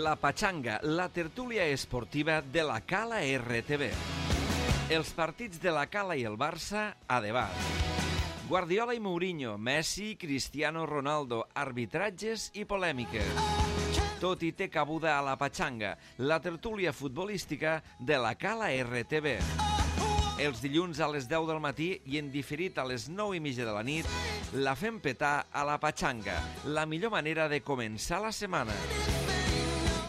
La Pachanga, la tertúlia esportiva de la Cala RTV. Els partits de la Cala i el Barça a debat. Guardiola i Mourinho, Messi, Cristiano Ronaldo, arbitratges i polèmiques. Tot hi té cabuda a la Pachanga, la tertúlia futbolística de la Cala RTV. Els dilluns a les 10 del matí i en diferit a les 9:30 de la nit, la fem petar a la Pachanga, la millor manera de començar la setmana.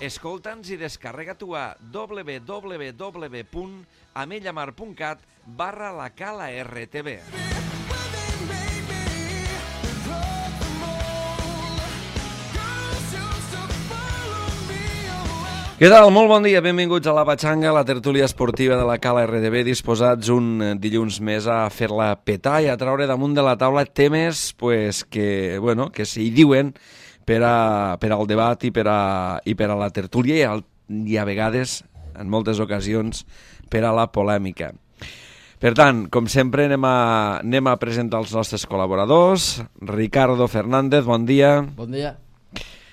Escolta'ns i descarrega-t'ho a www.amellamar.cat/la Cala RTV. Què tal? Molt bon dia, benvinguts a la Pachanga, la tertúlia esportiva de la Cala RTV, disposats un dilluns més a fer-la petar i a treure damunt de la taula temes que s'hi diuen per al debat i per a la tertúlia i a vegades, en moltes ocasions, per a la polèmica. Per tant, com sempre, anem a presentar els nostres col·laboradors. Ricardo Fernández, bon dia. Bon dia.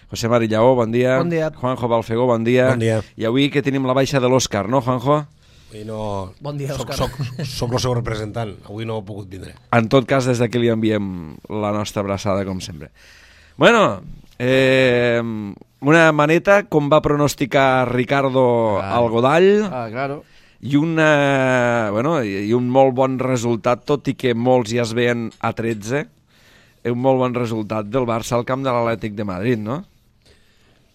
José Mari Lleó, bon dia. Bon dia. Juanjo Balfegó, bon dia. Bon dia. I avui que tenim la baixa de l'Òscar, no, Juanjo? Avui no... Bon dia, Òscar. Soc el seu representant, avui no he pogut vindre. En tot cas, des d'aquí li enviem la nostra abraçada, com sempre. Bueno, una maneta, com va pronosticar Ricardo al Godall, Claro. i un molt bon resultat, tot i que molts ja es veien a 13, un molt bon resultat del Barça al camp de l'Atlètic de Madrid, no?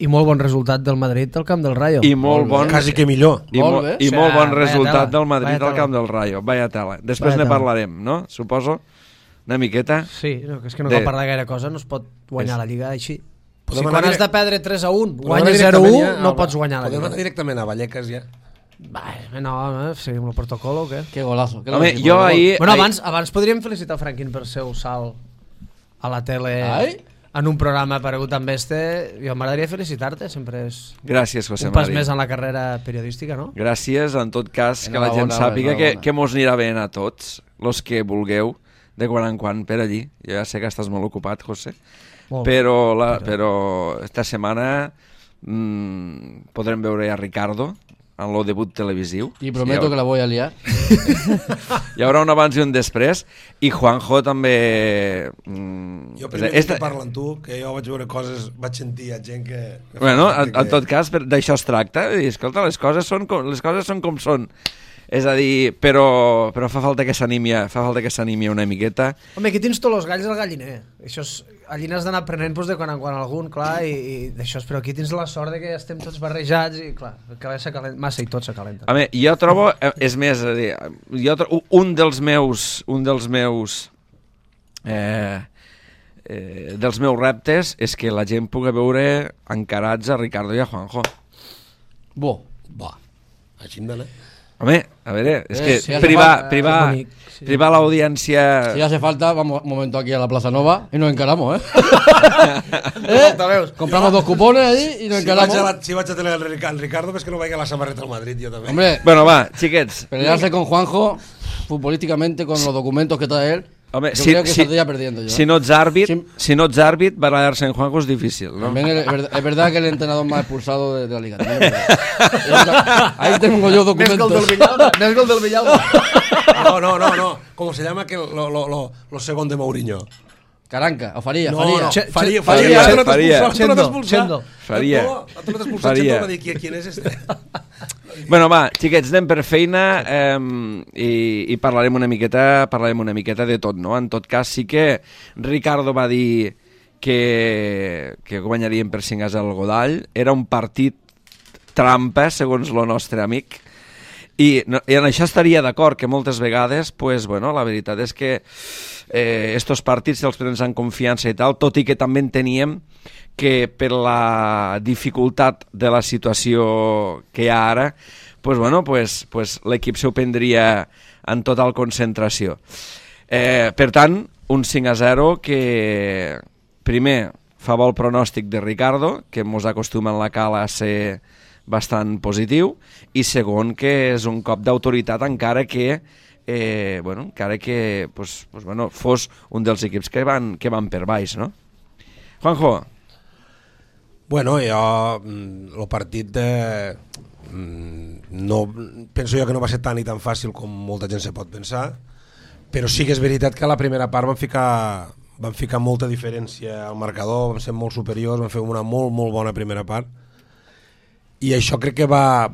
I molt bon resultat del Madrid al camp del Rayo. I molt bon... Quasi que millor. I Molt bé. molt bon Vaya resultat tela, del Madrid vaya al tela. camp del Rayo. Vaya tela. Després Vaya ne tela. parlarem, no? Suposo. Una miqueta. Sí, no, que és que no De- cal parlar gaire cosa, no es pot guanyar la Lliga així. Podem Si anar quan has direct- de perdre 3-1, Podem guanyes anar directament 0-1, ja no a- pots guanyar la Podem Lliga. anar directament a Vallecas ja. No, seguim el protocol o què? Qué golazo. Qué Home, golazo. jo ahir... Bueno, abans podríem felicitar Franquín per seu salt a la tele Ai. en un programa aparegut amb este. Jo m'agradaria felicitar-te, sempre és Gràcies, José un pas Mari. més en la carrera periodística, no? Gràcies, en tot cas, que la gent Enhorabona, sàpiga enhorabona. que mos anirà bé a tots, los que vulgueu, de quan en quan per allí. Jo ja sé que estàs molt ocupat, José, Molt bé. però esta setmana podrem veure a Ricardo en el debut televisiu. Y prometo que la voy a liar. Hi haurà un abans i un després, i Juanjo també... Jo primer que parlo amb tu, que jo vaig veure coses, vaig sentir a gent que... Bueno, en tot cas, d'això es tracta. I, escolta, les coses són com són. És a dir, però fa falta que s'animi una miqueta. Home, aquí tens tots els galls al galliner. Això és, allí n'has d'anar aprenent de quan en quan algun, clar, i d'això, però aquí tens la sort de que estem tots barrejats i, clar, massa i tot s'acalenta. A mi, jo trobo, és més, és a dir, un dels meus reptes és que la gent pugui veure encarats a Ricardo i a Juanjo. Va, així hem d'anar. Home, a veure, és que si hace privar bonic, sí. l'audiència... Si hace falta, vamos un momento aquí a la Plaza Nova y nos encaramos, ¿eh? Compramos 2 cupones allí y nos encaramos. Si vaig a tenir el Ricardo, ves que no vagi a la samarreta al Madrid, jo també. Hombre, Bueno, va, xiquets. pelearse con Juanjo futbolísticamente con los documentos que trae él. Home, yo creo que saldría perdiendo yo. si no ets àrbit, barallar-se en Juanjo és difícil, no? También es verdad que el entrenador más expulsado de la liga. También es verdad. Ahí tengo yo documentos. Més gol del Villalba. No. ¿Cómo se llama que lo segundo de Mourinho? Caranca, o Faría, No, Faría. no, Faria. Faria. Chendo. Faria. Faria. ¿Quién es este? Bueno, va, xiquets, anem per feina i parlarem una miqueta de tot, no? En tot cas, sí que Ricardo va dir que guanyaríem per 5-0 al Godall. Era un partit trampa, segons el nostre amic, i en això estaria d'acord, que moltes vegades, pues, bueno, la veritat és que estos partits els prens en confiança i tal, tot i que també enteníem que per la dificultat de la situació que hi ha ara, pues, bueno, pues, l'equip s'ho prendria en total concentració. Per tant, un 5-0 que primer fa bo el pronòstic de Ricardo, que mos acostuma en la Cala a ser bastant positiu, i segon, que és un cop d'autoritat encara que fos un dels equips que van per baix, no? Juanjo. Bueno, jo, el partit no, penso jo que no va ser tan i tan fàcil com molta gent se pot pensar, però sí que és veritat que a la primera part van ficar molta diferència al marcador, vam ser molt superiors, vam fer una molt, molt bona primera part, i això crec que va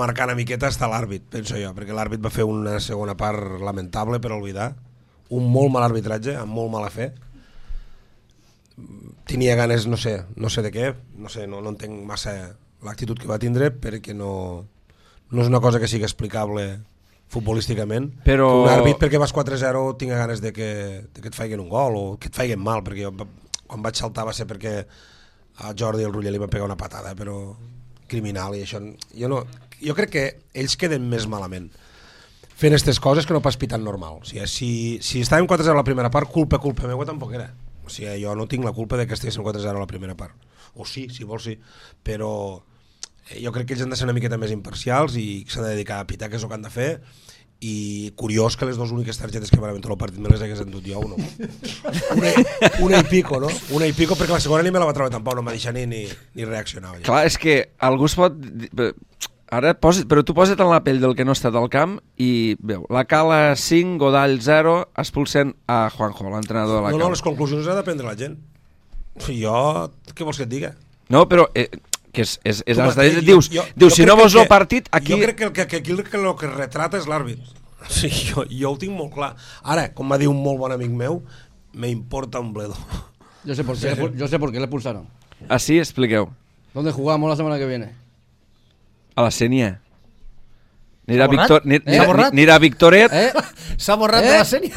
marcar una miqueta hasta l'àrbit, penso jo, perquè l'àrbit va fer una segona part lamentable per oblidar, un molt mal arbitratge, amb molt mala fe. Tenia ganes, no sé de què, no entenc massa l'actitud que va tindre, perquè no és una cosa que sigui explicable futbolísticament. Però un àrbit perquè vas 4-0 tinga ganes de que et faiguen un gol o que et faiguen mal, perquè jo quan vaig saltar va ser perquè a Jordi el Ruller li va pegar una patada, però criminal, i això jo crec que ells queden més malament fent aquestes coses que no pas pitant normal. O sigui, si estàvem 4-0 a la primera part, culpa meva tampoc era. O sigui, jo no tinc la culpa de que estiguéssim 4-0 a la primera part. O sí, si vols sí, però jo crec que ells han de ser una miqueta més imparcials i s'han de dedicar a pitar, que és el que han de fer. I curiós que les dues úniques targetes que van haver tot el partit me les hagués endut jo, no? Una i pico, no? Una i pico, perquè la segona ni me la va treure tampoc, no m'ha deixat ni reaccionar. Ja. Clar, és que algú es pot... Ara, però tu posa't en la pell del que no ha estat al camp i veu, la Cala 5, Godall 0, expulsent a Juanjo, l'entrenador de la Cala. No, les conclusions ha de prendre la gent. Jo, què vols que et diga? No, però... que dius, si no vols el partit aquí... Jo crec que aquí el que retrata és l'àrbit. Sí, jo ho tinc molt clar. Ara, com va dir un molt bon amic meu, me importa un bledo. Yo sé por qué le expulsaron. Así, expliqueu. ¿Dónde jugamos la semana que viene? A la Sénia. S'ha Victoret. S'ha borrat de la Sénia.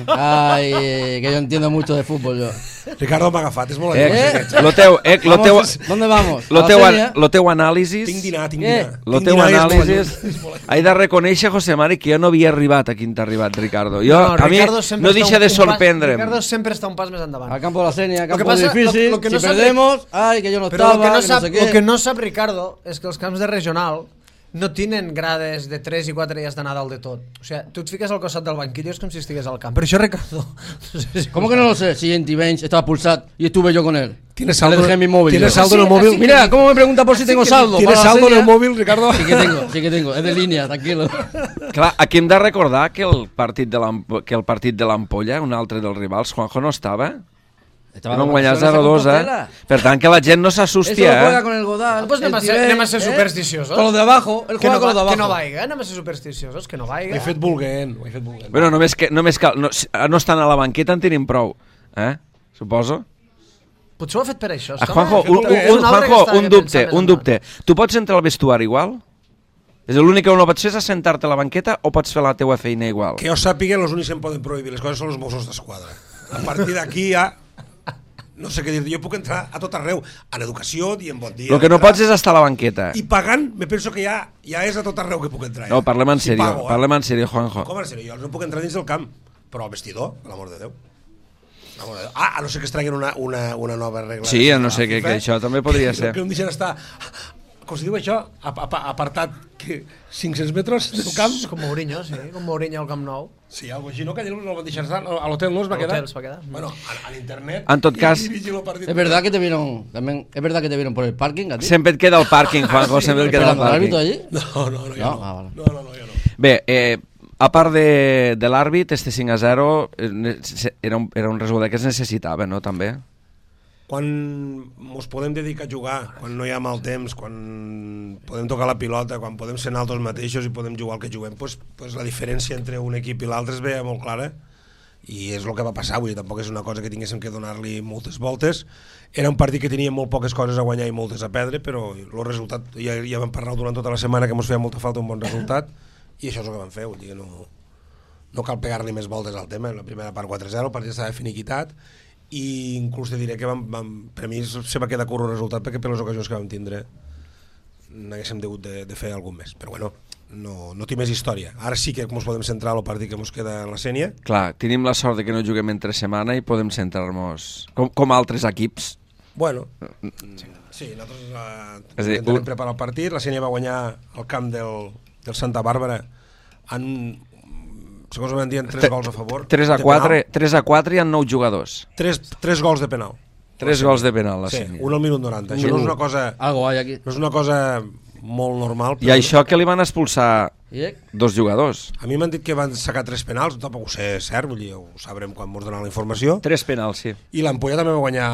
Ay, que yo entiendo mucho de fútbol yo. Ricardo m'ha agafat, és molt amic. ¿Dónde vamos? Lo teu anàlisis... Tinc dinar. Lo teu anàlisis... He de reconèixer, José Mari, que jo no havia arribat aquí on t'ha arribat, Ricardo. A mi no deixa de sorprendre'm. Ricardo sempre està un pas més endavant. Al campo de la Sénia, campo difícil, si perdemos, ay, que yo no estaba, que no sé qué. Lo que no sap Ricardo és que els camps de regional no tenen grades de 3 i 4 dies d'anar dalt de tot. O sea, tu et fiques al costat del banquillo és com si estigués al camp. Però això, Ricardo... No sé si ¿Cómo que no lo sé? Si en T-Bench estaba pulsado y estuve yo con él. ¿Tienes saldo en mi móvil? ¿Tienes saldo en el móvil? Mira, ¿cómo me pregunta por si tengo saldo? ¿Tienes saldo en el móvil, Ricardo? Sí que tengo. Es de línea, tranquilo. Clar, aquí hem de recordar que el partit de l'Ampolla, un altre dels rivals, Juanjo no estava... Van guanyar 0-2, Per tant, que la gent no s'assusti, Eso juega con el Godal. Pues anem a ser supersticiosos. Con lo de abajo, el juega con lo de abajo. Que no vaiga, anem a ser supersticiosos, que no vaiga. Ho he fet volguent. Bueno, només cal... No estan a la banqueta en tenim prou, suposo. Potser ho ha fet per això. Juanjo, un dubte. Tu pots entrar al vestuari igual? És l'únic que no pots fer és assentar-te a la banqueta o pots fer la teua feina igual? Que jo sàpiga, els únics que em poden prohibir les coses són els Mossos d'Esquadra. A partir d'aquí ja... No sé què dir, jo puc entrar a tot arreu, en educació, dient bon dia... El que no pots és estar a la banqueta. I pagant, me penso que ja és a tot arreu que puc entrar. No, parlem en sèrio, Juanjo. Com en sèrio? Jo no puc entrar dins del camp, però al vestidor, per l'amor de Déu. A no ser que es treguin una nova regla. Sí, a no ser que això també podria ser. Que em deixen estar... Com es diu això? Apartat 500 metres del camp? Com Mourinho, sí, com Mourinho al Camp Nou. Sí, algo així, no? Que allà no el van deixar estar, a l'hotel no es va quedar. Bueno, a l'internet... En tot cas... Es verdad que te vieron por el parking, a ti. Sempre et queda el pàrquing, Juanjo, sempre et queda el pàrquing. ¿L'àrbitro allí? No, jo no. No. Bé, a part de l'àrbit, este 5-0 era un resultat que es necessitava, no, també? Quan ens podem dedicar a jugar, quan no hi ha mal temps, quan podem tocar la pilota, quan podem ser nosaltres mateixos i podem jugar el que juguem, pues la diferència entre un equip i l'altre es veia molt clara i és el que va passar. Vull dir, tampoc és una cosa que tinguéssim que donar-li moltes voltes. Era un partit que tenia molt poques coses a guanyar i moltes a perdre, però el resultat, ja vam parlar durant tota la setmana que ens feia molta falta un bon resultat i això és el que vam fer. Vull dir, no cal pegar-li més voltes al tema. En la primera part 4-0, el partit estava finiquitat i inclús te diré que per a mi se va quedar curt el resultat perquè per les ocasions que vam tindre n'haguéssim hagut de fer algun més, però bueno, no té més història. Ara sí que ens podem centrar al partit que ens queda en la Sénia. Clar, tenim la sort de que no juguem entre setmana i podem centrar-nos com altres equips. Bueno, sí, nosaltres intentem preparar el partit. La Sénia va guanyar el camp del Santa Bàrbara segons m'han dit, 3 gols a favor. 3 a 4 i han 9 jugadors. 3 gols de penal. 3 gols de penal, la Sí, Sénia. un al minut 90. Això no és una cosa... Algo hay aquí. No és una cosa molt normal. I això que li van expulsar I 2 jugadors. A mi m'han dit que van sacar 3 penals, tampoc ho sé cert, vull dir, ho sabrem quan mos donen la informació. 3 penals, sí. I l'Ampolla també va guanyar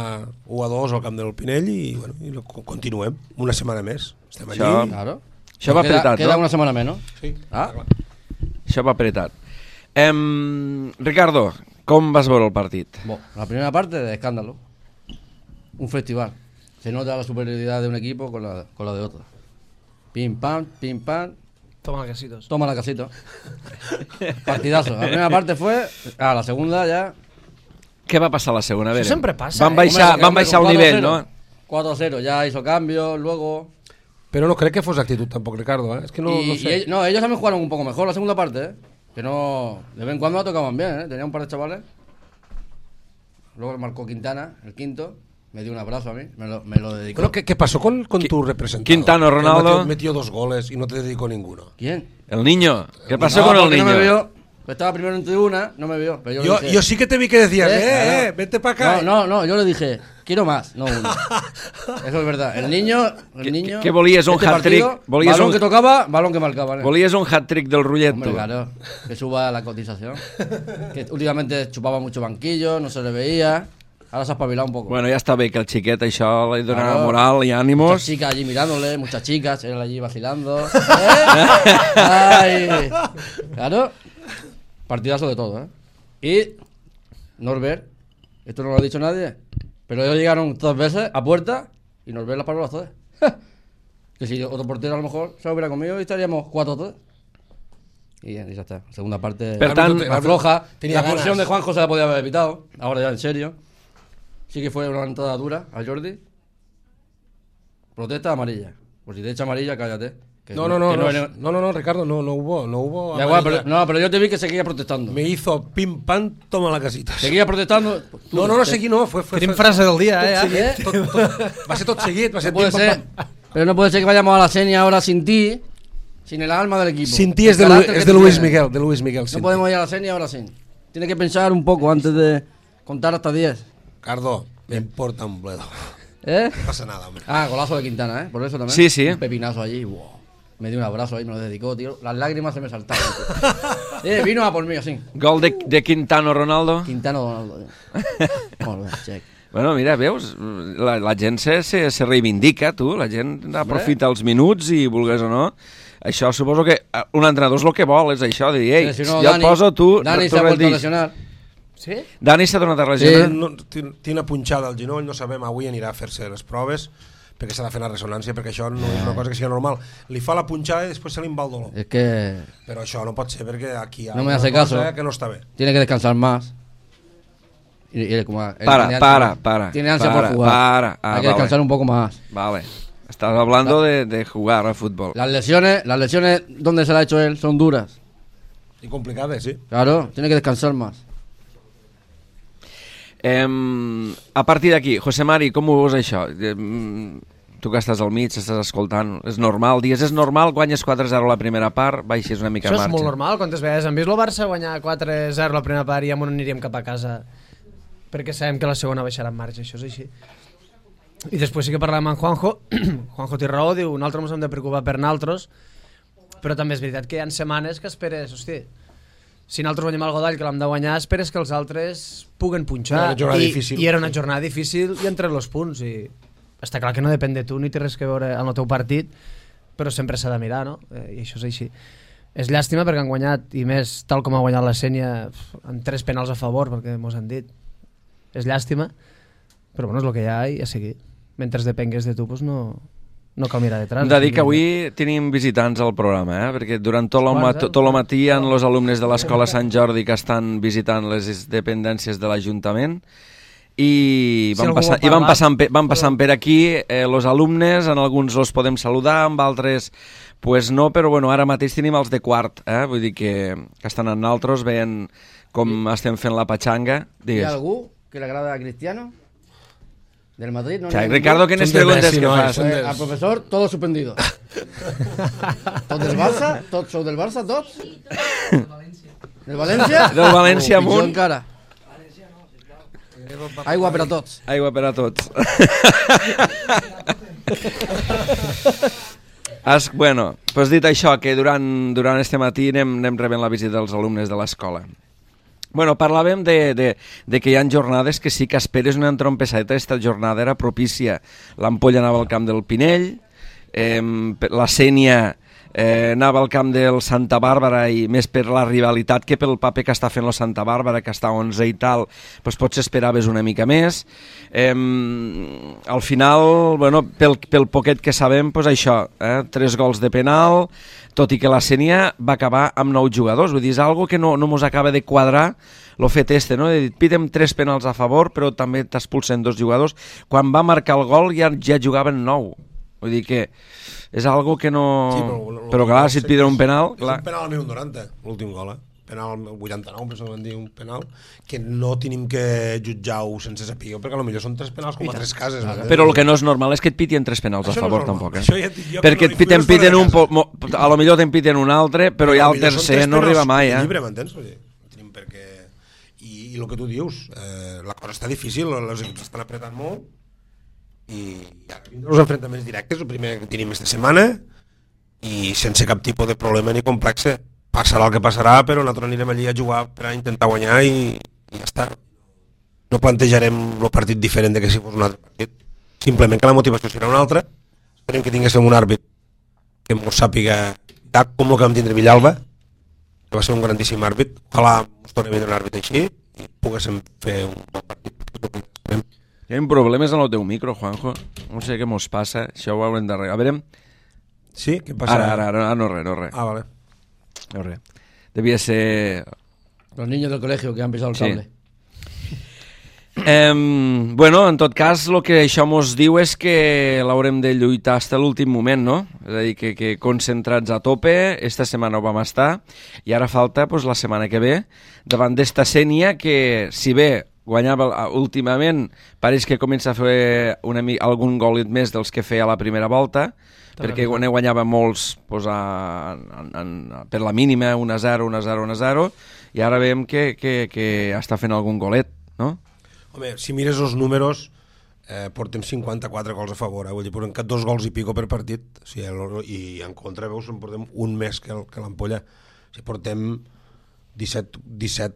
1-2 al camp del Pinell i, bueno, i continuem una setmana més. Estem allí. Això- Claro. Això va apretat, Queda no? una semana menos. Sí, Ah. clar. Això va apretat. Ricardo, com vas veure el partit? Bueno, la primera parte de escándalo. Un festival. Se nota la superioridad de un equipo con la de otro. Pim pam, Toma quesitos. toma la casita. Partidazo. La primera parte fue... Ah, la segunda ya... Què va passar a la segona? A veure, Això sempre passa, Van eh? baixar, Hombre, van baixar el con nivell, 4-0. no? 4-0, ya hizo cambios, luego... Però no crec que fos actitud tampoc, Ricardo, ¿eh? Es que no, y, no sé. ellos también jugaron un poco mejor la segunda parte, ¿eh? Que no... De vez en cuando la tocaban bien, ¿eh? Tenía un par de chavales. Luego marcó Quintana, el quinto. Me dio un abrazo a mí, me lo dedicó. Bueno, ¿qué pasó con tu representado? Quintano, Que Ronaldo. metió 2 goles y no te dedicó ninguno. ¿Quién? El niño. Què passa No, con el porque niño? no me vio. Estaba primero en tribuna, no me vio. Pero yo, le dije, Yo sí que te vi que decías, Claro. vete para acá. No, yo le dije, quiero más, no uno. Eso es verdad. El niño... ¿Qué volías, un hat-trick? partido, Volías balón un- que tocaba, balón que marcaba. ¿eh? Volies un hat-trick del Rullet, Hombre, tu? claro, que suba la cotización. Que últimamente chupaba mucho banquillo, no se le veía. Ahora se ha espabilado un poco. Bueno, ja està bé que el xiquet això li dona Claro. moral i Muchas ànimos. chicas allí mirándole, muchas chicas, él allí vacilando. ¿Eh? Ay. Claro. Partidazo de todo, ¿eh? Y Norbert, esto no lo ha dicho nadie, pero ellos llegaron 2 veces a puerta y Norbert las paró las 2. Que si otro portero a lo mejor se hubiera comido y estaríamos 4-3. Y ya está. Segunda parte Per tant, más floja. tenía La ganas. expulsión de Juanjo se la podía haber evitado. Ahora ya en serio. Sí que fue una entrada dura a Jordi. Protesta amarilla. Por si te echa amarilla, cállate. Que No, que eres- Ricardo, no hubo. Da igual, amarilla. pero yo te vi que seguía protestando. Me hizo pim pam, toma la casita. Seguía protestando. Tú, No seguí, no, fue Tenim frase del dia, tot eh? seguit, va ser tot seguit, va ser No puede pim, ser, pam, pam. pero no puede ser que vayamos a la Senia ahora sin ti, sin el alma del equipo. Sin ti El es de, carácter que tú Luis tienes. Miguel. No sin podemos ti. ir a la Senia ahora sin. Tienes que pensar un poco antes de contar hasta 10. Cardo, me importa un bledo. ¿Eh? No pasa nada, hombre. Ah, golazo de Quintana, ¿eh? Por eso también. Sí, sí. Un pepinazo allí. Wow. Me dio un abrazo ahí, me lo dedicó, tío. Las lágrimas se me saltaban. Tío. Vino a por mí así. Gol de Quintano Ronaldo. Quintana Donaldo. Molt bé, check. Bueno, mira, veus, la gent se reivindica, tu, la gent aprofita els minuts i, vulgues o no, això suposo que un entrenador és el que vol, és això, de dir, ei, Sí, si no, jo et poso, tu Dani se ha vuelto a lesionar. Sí? Dani s'ha donat a lesionar. Sí. No, té una punxada al genoll, no sabem, avui anirà a fer-se les proves, perquè s'ha de fer la ressonància, perquè això no és una cosa que sigui normal. Li fa la punxada i després se li va el dolor. Es que Però això no pot ser perquè aquí hi ha No me una hace cosa caso. que no està bé. tiene que descansar más. Y él como él Para, tiene para, ansia- para, Tiene ansia para, por jugar. para. Ah, Hay que vale. descansar un poco más. Vale, estás hablando de jugar al fútbol. Las lesiones donde se la ha hecho él son duras. I complicades, sí. Claro, tiene que descansar más. A partir d'aquí, José Mari, com ho veus això? Tu que estàs al mig, estàs escoltant, és normal, dies, és normal, guanyes 4-0 la primera part, baixes una mica Això és marxa. molt normal. Quantes vegades hem vist el Barça guanyar 4-0 la primera part i ja aniríem cap a casa perquè sabem que la segona baixarà en marxa, això és així. I després sí que parlàvem amb Juanjo. Juanjo té raó, diu, nosaltres ens hem de preocupar per nosaltres, però també és veritat que hi ha setmanes que esperes, hosti, si nosaltres guanyem el Godall, que l'hem de guanyar, esperes que els altres puguen punxar. Era una jornada difícil. I era una jornada difícil i entre els punts. I està clar que no depèn de tu ni té res que veure amb el teu partit, però sempre s'ha de mirar, no? I això és així. És llàstima perquè han guanyat, i més tal com ha guanyat la Sénia, amb 3 penals a favor, perquè mos han dit. És llàstima, però bueno, és el que hi ha i a seguir. Mentre depengues de tu, doncs no cal mirar detrás. Hem de dir que avui tenim visitants al programa, perquè durant tot el matí hi ha els alumnes de l'Escola Sant Jordi que estan visitant les dependències de l'Ajuntament i van passant per aquí els alumnes, en alguns els podem saludar, amb altres pues no, però bueno, ara mateix tenim els de quart, vull dir que estan amb nosaltres, veient com estem fent la patxanga. ¿Hay Digues. algú que le agrada a Cristiano? ¿Del Madrid? No, O sigui, no, Ricardo, quines Són de preguntes Messi, que no, fas? són de- Al profesor, todo suspendido. ¿Todos del Barça? ¿Todos sou del Barça? ¿Todos? Del València? Del València Pitjor amunt. encara. Aigua per a tots. Aigua per a tots. Bueno, doncs dit això, que durant este matí anem rebent la visita dels alumnes de l'escola. Bueno, parlàvem de que hi ha jornades que sí que esperes una entrompessadeta. Esta jornada era propícia. L'Ampolla anava al camp del Pinell, la Sénia anava al camp del Santa Bàrbara, i més per la rivalitat que pel paper que està fent el Santa Bàrbara, que està 11 i tal, doncs potser esperaves una mica més. Al final, bueno, pel poquet que sabem, doncs això, 3 gols de penal, tot i que la Sénia va acabar amb 9 jugadors. Vull dir, és algo que no mos acaba de quadrar el fet este, no? Pitem 3 penals a favor, però també t'expulsen 2 jugadors. Quan va marcar el gol ja jugaven 9. Vull dir que és algo que no... Sí, però clar, si et piden un penal... És un penal al minut 90, l'últim gol, penal al 89, penso que van dir un penal, que no tenim que jutjar-ho sense saber, perquè potser són 3 penals com a 3 cases. Però el que no és normal és que et pitien 3 penals a favor, tampoc. Ja perquè te'n piten un... A lo millor te'n piten un altre, però ja el tercer no arriba mai. Llibre, m'entens? Tenim perquè... I el que tu dius, la cosa està difícil, els equips estan apretant molt, i ara vindran els enfrontaments directes, el primer que tenim aquesta setmana, i sense cap tipus de problema ni complexe. Passarà el que passarà, però nosaltres anirem allí a jugar per a intentar guanyar i ja està. No plantejarem el partit diferent de que si fos un altre partit. Simplement que la motivació serà una altra. Esperem que tinguéssim un àrbit que ens sàpiga com el que vam tindre Villalba, que va ser un grandíssim àrbit. Ojalà ens torni a vindre un àrbit així i poguéssim fer un bon partit. Hi ha problemes en el teu micro, Juanjo. No sé què mos passa, això ho haurem d'arreglar. A veure... Sí? Què passa? Ara, no res. Ah, vale. No res. Devia ser... Los niños del colegio que han pisado el cable. Bueno, en tot cas, el que això mos diu és que l'haurem de lluitar fins a l'últim moment, no? És a dir, que concentrats a tope, esta setmana ho vam estar, i ara falta pues, la setmana que ve, davant d'esta Sénia que, si bé guanyava últimament, pareix que comença a fer algun golet més dels que feia a la primera volta, perquè guanyava molts pues, per la mínima, 1-0, 1-0, 1-0, i ara veiem que està fent algun golet, no? Home, si mires els números, portem 54 gols a favor, vull dir, portem 2 gols i pico per partit, o sigui, i en contra, veus, en portem un més que l'Ampolla. O sigui, portem 17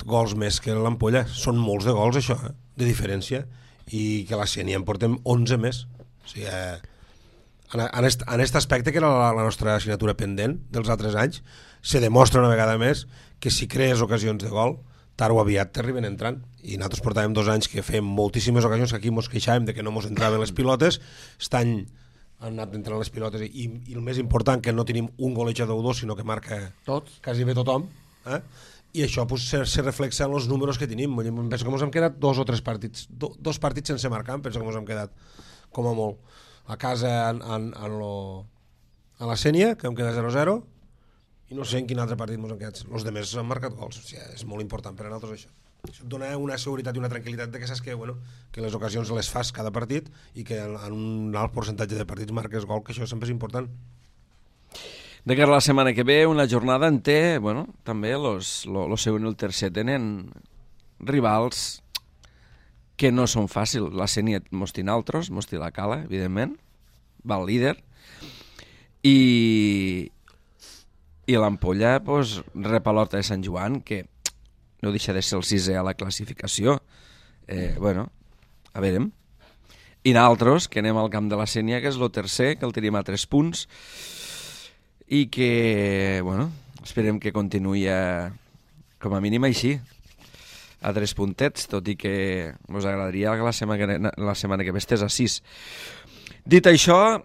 gols més que l'Ampolla. Són molts de gols, això, de diferència, i que la Sénia en portem 11 més. O sigui, en aquest aspecte, que era la nostra assignatura pendent dels altres anys, se demostra una vegada més que si crees ocasions de gol, tard o aviat t'arriben entrant, i nosaltres portàvem 2 anys que fèiem moltíssimes ocasions que aquí mos queixàvem de que no mos entraven les pilotes. Aquest any han anat entrant les pilotes i el més important, que no tenim un golejador o 2, sinó que marca quasi bé tothom, i això pues, se reflexa en els números que tenim. Penso que ens hem quedat 2 o 3 partits, 2 partits sense marcar, penso que ens hem quedat com a molt. A casa a la Sénia, que hem quedat 0-0, i no sé en quin altre partit ens han quedat. Els altres han marcat gols, o sigui, és molt important per a nosaltres això. Això et dona una seguretat i una tranquil·litat de que saps que les ocasions les fas cada partit i que en un alt percentatge de partits marques gol, que això sempre és important. De cara a la setmana que ve, una jornada en té, bueno, també el segon i el tercer tenen rivals que no són fàcils. La Sénia mos té altres, mos té la Cala, evidentment, va el líder, i l'Ampolla pues, rep a l'Horta de Sant Joan, que no deixa de ser el 6è a la classificació. Bueno, a veure. I nosaltres, que anem al camp de la Sénia, que és el tercer, que el tenim a 3 punts, i que, bueno, esperem que continuï com a mínim així, a 3 puntets, tot i que us agradaria que la setmana que ve estés a 6. Dit això,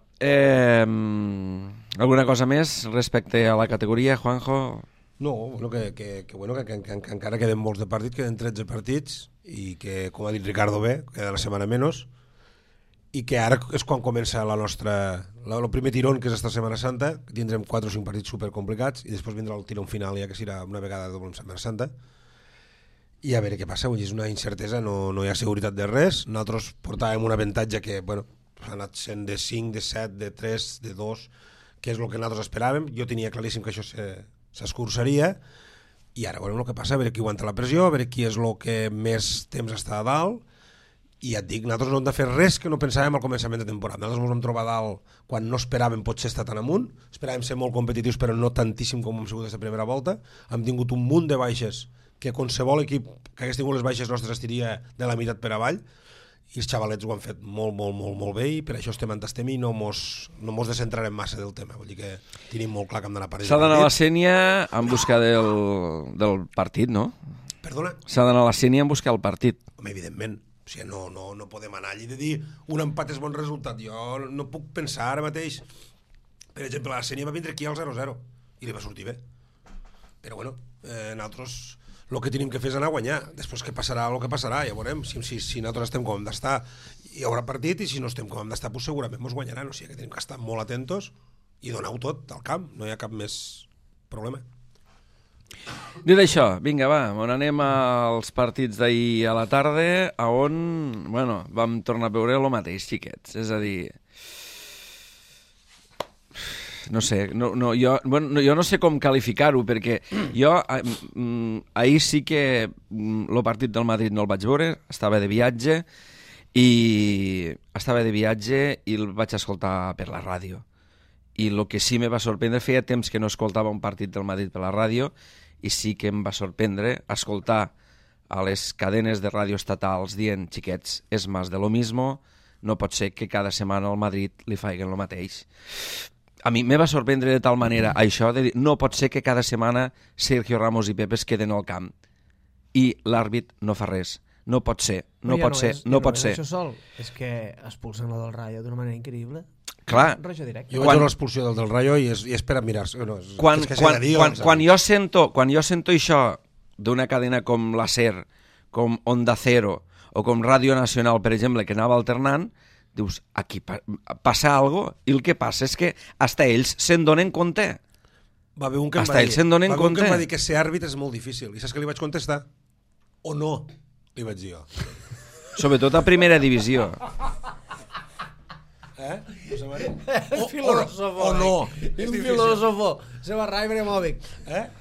alguna cosa més respecte a la categoria, Juanjo? No, bueno, que encara queden molts de partits, queden 13 partits, i que, com ha dit Ricardo bé, queda la setmana menys, i que ara és quan comença el primer tirón, que és esta Setmana Santa, que tindrem 4 o 5 partits supercomplicats, i després vindrà el tirón final, ja que serà una vegada doble en Setmana Santa, i a veure què passa. És una incertesa, no hi ha seguretat de res. Nosaltres portàvem un avantatge que, bueno, ha anat sent de 5, de 7, de 3, de 2, que és el que nosaltres esperàvem. Jo tenia claríssim que això s'escurçaria, i ara veurem el que passa, a veure qui aguanta la pressió, a veure qui és el que més temps està a dalt, i ja et dic, nosaltres no hem de fer res que no pensàvem al començament de temporada. Nosaltres ens vam trobar a dalt quan no esperàvem potser estar tan amunt, esperàvem ser molt competitius però no tantíssim com hem sigut aquesta primera volta, hem tingut un munt de baixes que qualsevol equip que hagués tingut les baixes nostres estiria de la meitat per avall, i els xavalets ho han fet molt bé, i per això estem on estem i no mos descentrarem massa del tema. Vull dir que tenim molt clar que hem d'anar a París. S'ha d'anar a la Sénia en busca del partit, no? Perdona? S'ha d'anar a la Sénia en buscar el partit. Home, evidentment. O sigui, no podem anar allí de dir un empat és bon resultat. Jo no puc pensar ara mateix. Per exemple, la Sénia va vindre aquí al 0-0 i li va sortir bé. Però bueno, nosaltres el que tenim que fer és anar a guanyar. Després que passarà el que passarà, ja veurem. Si nosaltres estem com hem d'estar, hi haurà partit, i si no estem com hem d'estar, pues segurament ens guanyaran. O sigui que tenim que estar molt atentos i donar-ho tot al camp. No hi ha cap més problema. Dit això, vinga, va, on anem als partits d'ahir a la tarda, on, bueno, vam tornar a veure el mateix, xiquets. És a dir, no sé, jo no sé com qualificar-ho, perquè jo ahir sí que el partit del Madrid no el vaig veure, estava de viatge i el vaig escoltar per la ràdio. I el que sí me va sorprendre, feia temps que no escoltava un partit del Madrid per la ràdio, i sí que em va sorprendre escoltar a les cadenes de ràdio estatals dient, xiquets, és más de lo mismo, no pot ser que cada setmana al Madrid li faiguen el mateix. A mi me va sorprendre de tal manera això, de dir, no pot ser que cada setmana Sergio Ramos i Pepe es queden al camp i l'àrbit no fa res. No pot ser, no pot ser. Això sol, és que expulsen el del Rayo d'una manera increïble. Clar, Rojo directe. Jo vaig veure l'expulsió del Rayo i és per admirar-se. No, quan jo sento això d'una cadena com la SER, com Onda Cero o com Ràdio Nacional, per exemple, que anava alternant, dius, aquí passa alguna cosa, i el que passa és que hasta ells se'n donen compte. Va haver un que em va dir que ser àrbit és molt difícil. I saps què li vaig contestar? O no, li vaig dir jo. Sobretot a primera divisió. Filósofo. O no. És filósofo. Se va Rai Bremovic.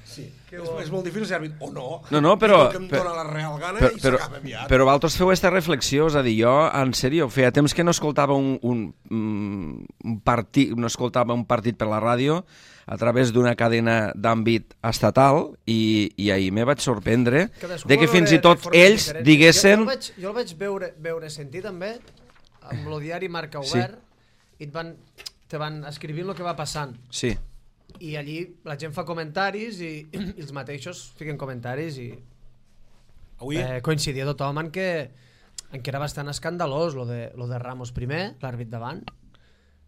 Sí. És molt difícil ser àrbit. O no. No, però... Que em dóna la real gana i s'acaba aviat. Però vosaltres feu aquesta reflexió, és a dir, jo, en sèrio, feia temps que no escoltava un partit per la ràdio a través d'una cadena d'àmbit estatal i ahir me vaig sorprendre de que fins i tot ells diguessin... Jo el vaig veure sentir també amb el diari Marca Obert i te van escrivint el que va passant. Sí. I allí la gent fa comentaris i els mateixos fiquen comentaris i coincidia tothom en que era bastant escandalós lo de Ramos primer, l'àrbit davant,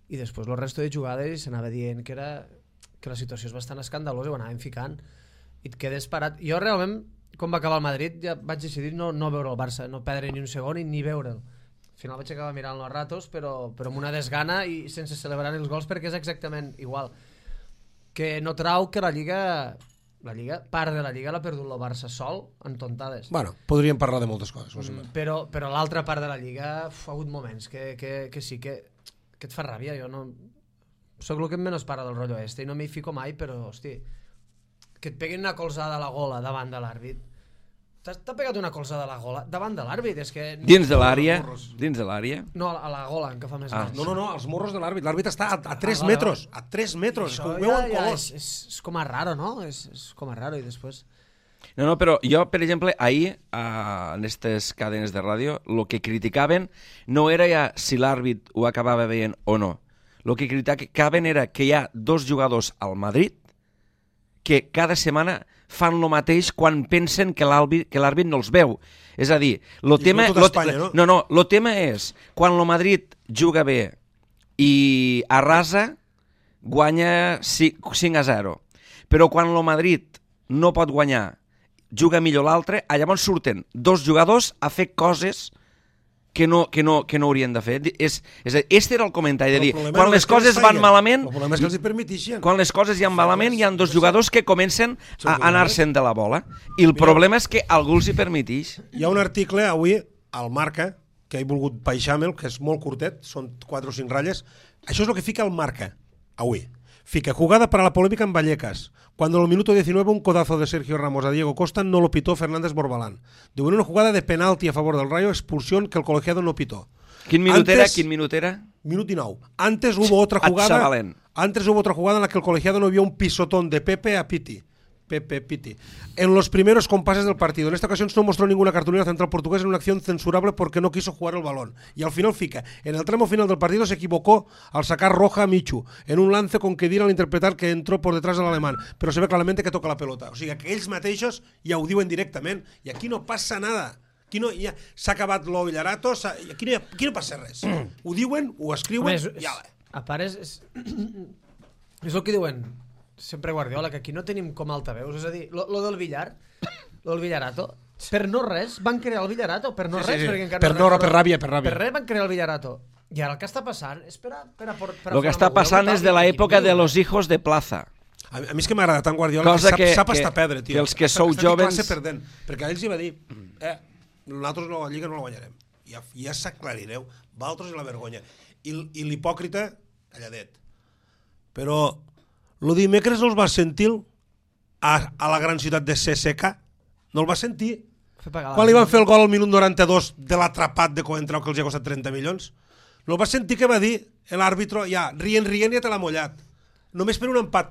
i després el resto de jugades i s'anava dient que la situació és bastant escandalosa i ho anàvem ficant i et quedes parat. Jo realment, quan va acabar el Madrid, ja vaig decidir no veure el Barça, no perdre ni un segon ni veure'l. Al final vaig acabar mirant els ratos, però amb una desgana i sense celebrar els gols, perquè és exactament igual. Que no trau que la Lliga, part de la Lliga l'ha perdut el Barça sol en tontades. Bueno, podríem parlar de moltes coses. Però l'altra part de la Lliga ha hagut moments que sí que et fa ràbia. Jo no... Soc el que menys para del rotllo este i no m'hi fico mai, però, hosti, que et peguin una colzada a la gola davant de l'àrbit. T'ha pegat una colzada a la gola davant de l'àrbit, és que... Dins de l'àrea? Dins de l'àrea? No, a la gola, en què fa més anys. No, als morros de l'àrbit. L'àrbit està a 3 metres. A 3 metres. Això ho veuen colors. És com a raro, no? És com a raro i després... No, però jo, per exemple, ahir, en aquestes cadenes de ràdio, el que criticaven no era ja si l'àrbit ho acabava veient o no. El que criticaven era que hi ha 2 jugadors al Madrid que cada setmana fan el mateix quan pensen que l'àrbit no els veu. És a dir, el tema és quan el Madrid juga bé i arrasa, guanya 5-0. Però quan el Madrid no pot guanyar, juga millor l'altre, llavors surten 2 jugadors a fer coses que no haurien de fer. Este era el comentari, de dir, quan les coses van malament, quan les coses van malament, hi ha 2 jugadors que comencen a anar-se'n de la bola. I el problema és que algú els hi permeteix. Hi ha un article avui al Marca, que he volgut baixar-me'l, que és molt curtet, són 4 o 5 ratlles. Això és el que fica el Marca, avui. Fica, jugada para la polémica en Vallecas. Cuando en el minuto 19 un codazo de Sergio Ramos a Diego Costa no lo pitó Fernández Borbalán. Digo, en una jugada de penalti a favor del Rayo, expulsión que el colegiado no pitó. Quin minut era? Minut 19. Antes hubo otra jugada en la que el colegiado no vio un pisotón de Pepe a Piti. En los primeros compases del partido. En esta ocasión no mostró ninguna cartulina central portugués en una acción censurable porque no quiso jugar el balón. Y al final fica, en el tramo final del partido se equivocó al sacar roja a Michu, en un lance con Kedira al interpretar que entró por detrás del alemán, pero se ve claramente que toca la pelota. O sigui, que ells mateixos ja ho diuen directament, i aquí no passa nada. Aquí no, ja s'ha acabat lo Villarato, aquí no passa res. Ho diuen, ho escriuen, ja va. A part, és el que diuen sempre Guardiola, que aquí no tenim com altaveus, és a dir, lo del billar, lo del Villarato, per no res van crear el Villarato, per no res, perquè encara per ràbia. Per res van crear el Villarato. I ara el que està passant és per lo que està passant és de l'època de los hijos de plaza. A mi és que m'agrada tant Guardiola que sap estar perdre, tio. Que els que sou jovens... Perquè a ells hi va dir, nosaltres la Lliga no la guanyarem. Ja s'aclarireu, vosaltres i la vergonya. I l'hipòcrita, calladet. Però lo dimecres no els vas sentir a la gran ciutat de CSK? No el vas sentir? Quan li van fer el gol al minut 92 de l'atrapat de Coentrao que els ha costat 30 milions? No el vas sentir que va dir l'àrbitro, ja, rient, ja te l'ha mullat. Només per un empat.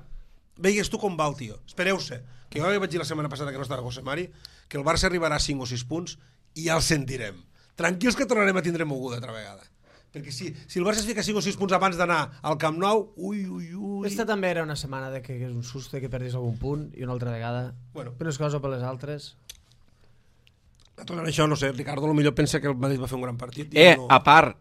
Veies tu com va el tio. Espereu-se. Que jo vaig dir la setmana passada que no estava José Mari, que el Barça arribarà a 5 o 6 punts i ja el sentirem. Tranquils que tornarem a tindre moguda altra vegada. Perquè si el Barça es fica 5 o 6 punts abans d'anar al Camp Nou, ui. Aquesta també era una setmana de que és un susto que perdis algun punt i una altra vegada. Bueno. Per unes coses o per les altres. Tornant això, no sé, Ricardo potser pensa que el Madrid va fer un gran partit. A part,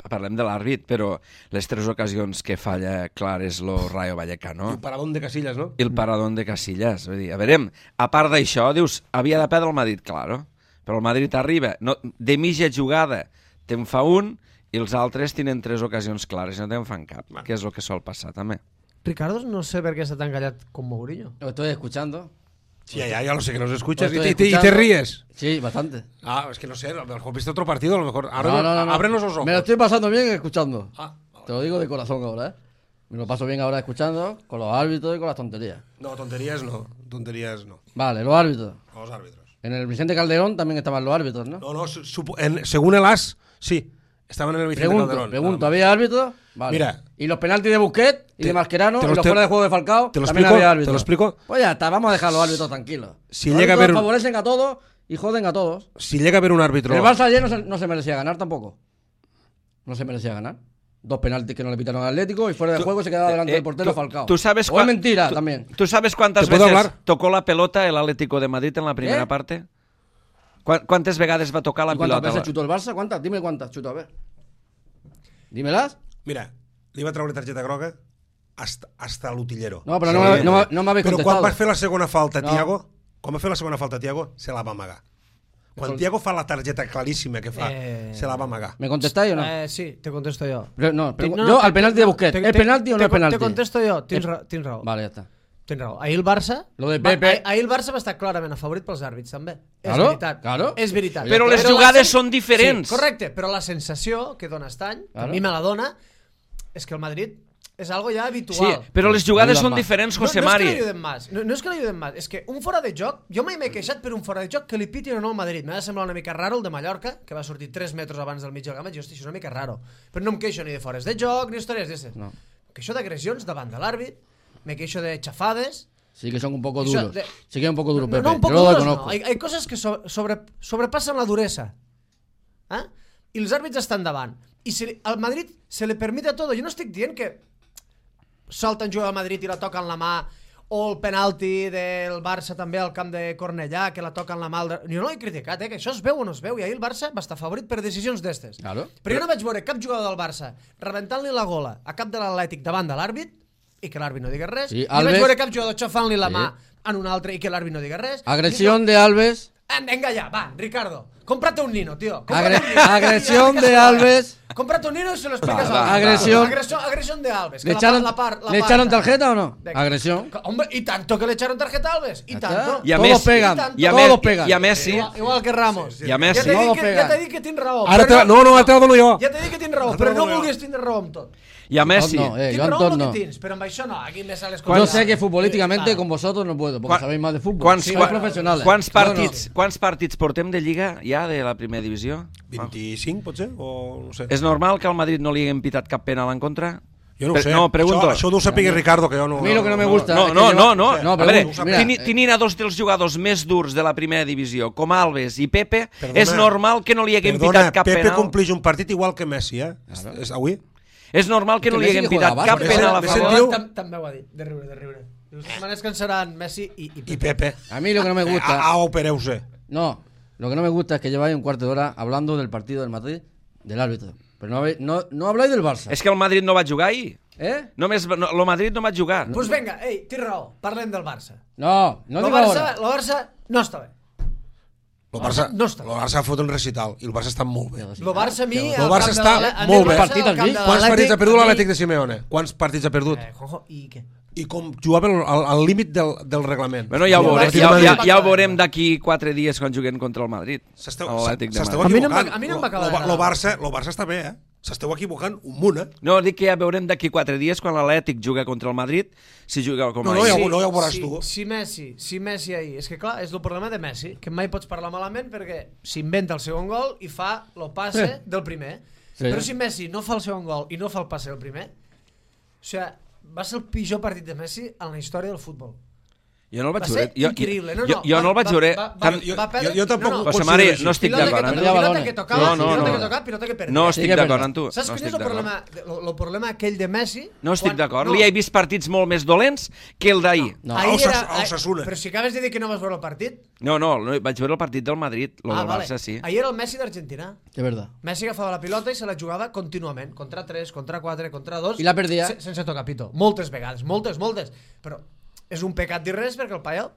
parlem de l'àrbit, però les 3 ocasions que falla clar és lo Rayo Vallecano. I el paradón de Casillas, no? I el paradón de Casillas. Vull dir, a veure, a part d'això, dius, havia de perdre el Madrid, claro. Però el Madrid arriba, de mitja jugada te'n fa un, i els altres tenen 3 ocasions clares i no te'n fan cap, que és el que sol passar també. Ricardo, no sé per què està tan callat com Mourinho. Lo estoy escuchando. Sí, ya lo sé que nos escuchas y te ríes. Sí, bastante. Es que no sé, a lo mejor viste otro partido, a lo mejor. No. Ábrenos los ojos. Me lo estoy pasando bien escuchando. Vale. Te lo digo de corazón ahora, ¿eh? Me lo paso bien ahora escuchando, con los árbitros y con las tonterías. No, tonterías no. Vale, los árbitros. Los árbitros. En el Vicente Calderón también estaban los árbitros, ¿no? No, según el AS, sí. Estaban en el Vicente Calderón. Pregunto, ¿había árbitros? Vale. Mira. Y los penaltis de Busquets y de Mascherano, y los fuera de juego de Falcao, también había árbitros. ¿Te lo explico? Pues ya está, vamos a dejar a los árbitros tranquilos. Si los llega a haber favorecen a todos y joden a todos. Si llega a haber un árbitro... El Barça ayer no se merecía ganar tampoco. No se merecía ganar. 2 penaltis que no le pitaron al Atlético y fuera de juego se quedaba delante del portero Falcao. ¿Tú sabes o es mentira también. ¿Tú sabes cuántas veces tocó la pelota el Atlético de Madrid en la primera parte? ¿Cuántas veces va a tocar la pelota? ¿Cuántas veces chutó el Barça? ¿Cuántas? Dime cuántas chutó, a ver. Dímelas. Mira, li va treure targeta groga hasta l'utillero. No, però no m'havia contestat. Però quan va fer la segona falta, Thiago, se la va amagar. Quan Thiago fa la targeta claríssima que fa, se la va amagar. ¿Me contestáis o no? Sí, te contesto yo. Yo al penalti de Busquets. ¿Es penalti o no es penalti? Te contesto yo, tens raó. Vale, ja està. Tens raó. Ahir el Barça... Lo de Pepe... Ahir el Barça va estar clarament afavorit pels àrbits, també. Claro, És veritat. Però les jugades són diferents. Sí, correcte, però la sensació que dona Estany, que a mi me la dona, és que el Madrid és algo ja habitual. Sí, però les jugades són diferents, José Mari. No és que l'ajuden més, és que un fora de joc, jo mai m'he queixat per un fora de joc que li pitin o no al Madrid. M'ha de semblar una mica raro el de Mallorca, que va sortir 3 metres abans del mig del camp, i hosti, això és una mica raro. Però no em queixo ni de fores de joc, ni històries d'esses. No. Em queixo d'agressions davant de l'àrbit, me queixo de xafades. Sí que son un poco duros. Sí que es un poco duro, Pepe. No, un poco duros no. Hay cosas que sobrepassen la duresa. I els àrbits estan davant. I al Madrid se le permite todo. Jo no estic dient que salten jugar al Madrid i la toquen la mà, o el penalti del Barça també al camp de Cornellà, que la toquen la mà... Jo no l'he criticat, que això es veu o no es veu, i ahir el Barça va estar favorit per decisions d'estes. Claro. Però jo no vaig veure cap jugador del Barça rebentant-li la gola a cap de l'Atlètic davant de l'àrbit i que l'àrbit no digués res. Sí, Alves... I vaig veure cap jugador xafant-li la mà en un altre i que l'àrbit no digués res. Agresión de Alves. Venga ya, va, Ricardo. Cómprate un Nino, tío. Agresión de Alves. Cómprate un Nino y se lo explicas a Agresión de Alves. ¿Le echaron tarjeta o no? Agresión. Hombre, y tanto que le echaron tarjeta a Alves. Y tanto. Y a Messi. Todos pegan. Y a Messi. Igual que Ramos. Y a Messi. Ja t'he dit que tins raó. No, te la dono jo. Ja t'he dit que tins raó, però no vulguis tindre raó amb tot. I a Messi... No, Tinc yo a raó Anton amb no. el que tens, però amb això no. Aquí me sales Yo sé que futbolísticamente con vosotros no puedo, porque sabéis más de fútbol. Sois profesionales. Quants partits portem de Lliga ja de la primera divisió? 25, potser? O no sé. És normal que al Madrid no li haguem pitat cap penal en contra? Jo no ho sé. No, pregunto. Això ho deu saber Ricardo, que jo no... A mí lo que no me gusta... No. No, A veure, mira, tenint a dos dels jugadors més durs de la primera divisió, com Alves i Pepe, Perdona, és normal que no li haguem pitat cap Pepe penal. compleix un partit igual que Messi, eh? És avui? És normal que no li Messi haguem que juega pitat cap bàsquet. penal a Messi favor. diu- També ho ha dit, de riure. Dius, me descansaran Messi i I Pepe. a mí lo que no me gusta... Opereu-se. No, lo que no me gusta es que lleváis un cuarto de hora hablando del partido del Madrid, del árbitro. Pero no habláis del Barça. És que el Madrid no va jugar ahir. ¿Eh? El Madrid no va jugar. Pues venga, té raó, parlem del Barça. No digo ahora. El Barça no està bé. El Barça, No està. el Barça ha fot un recital i el Barça està molt bé. El Barça a mi... El Barça està molt bé. Quants partits ha perdut l'Atlètic de Simeone? Quants partits ha perdut? Juanjo, i què? I com jugava al límit del reglament. Bueno, ja ho veurem, Partit de Madrid. ja ho veurem d'aquí 4 dies quan juguem contra el Madrid. L'Atlètic de S'esteu Madrid. equivocant. A mi no em va acabar El Barça està bé, S'esteu equivocant un munt, No, dic que ja veurem d'aquí 4 dies quan l'Atlètic juga contra el Madrid, si juga com No, ahir. ja ho veuràs tu. Si Messi ahir... És que clar, és el problema de Messi, que mai pots parlar malament perquè s'inventa el segon gol i fa el passe del primer. Sí. Però si Messi no fa el segon gol i no fa el passe del primer, o sigui, va ser el pitjor partit de Messi en la història del futbol. Jo no el vaig Va ser veure. increïble. Jo no el vaig veure. Jo tampoc José María, no estic d'acord amb tu. Pilota que tocava, No. pilota que tocava, pilota que perdia. No estic d'acord amb tu. Saps No quin és estic el problema? El problema aquell de Messi... No estic d'acord. No. Li he vist partits molt més dolents que el d'ahir. No. Ahir era... Osasuna. Però si acabes de dir que no vas veure el partit... No, vaig veure el partit del Madrid, el del Barça sí. Ahir era el Messi d'Argentina. Es verdad. Messi agafava la pilota i se la jugava contínuament. Contra 3, contra 4, contra 2... I la perdia. Sense tocar pito. Moltes vegades. Moltes. Però és un pecat dir res perquè el paio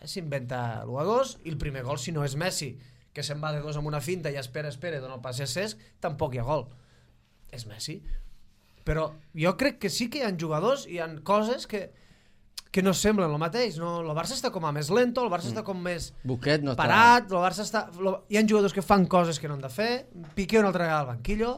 s'inventa l'1-2 i el primer gol, si no és Messi, que se'n va de 2 amb una finta i espera, dona el passe a Cesc, tampoc hi ha gol. És Messi. Però jo crec que sí que hi ha jugadors, hi ha coses que no semblen el mateix. No? El Barça està com a més lento, el Barça està com més Busquets no està... parat, el Barça està... Hi ha jugadors que fan coses que no han de fer, Piqué una altra vegada al banquillo,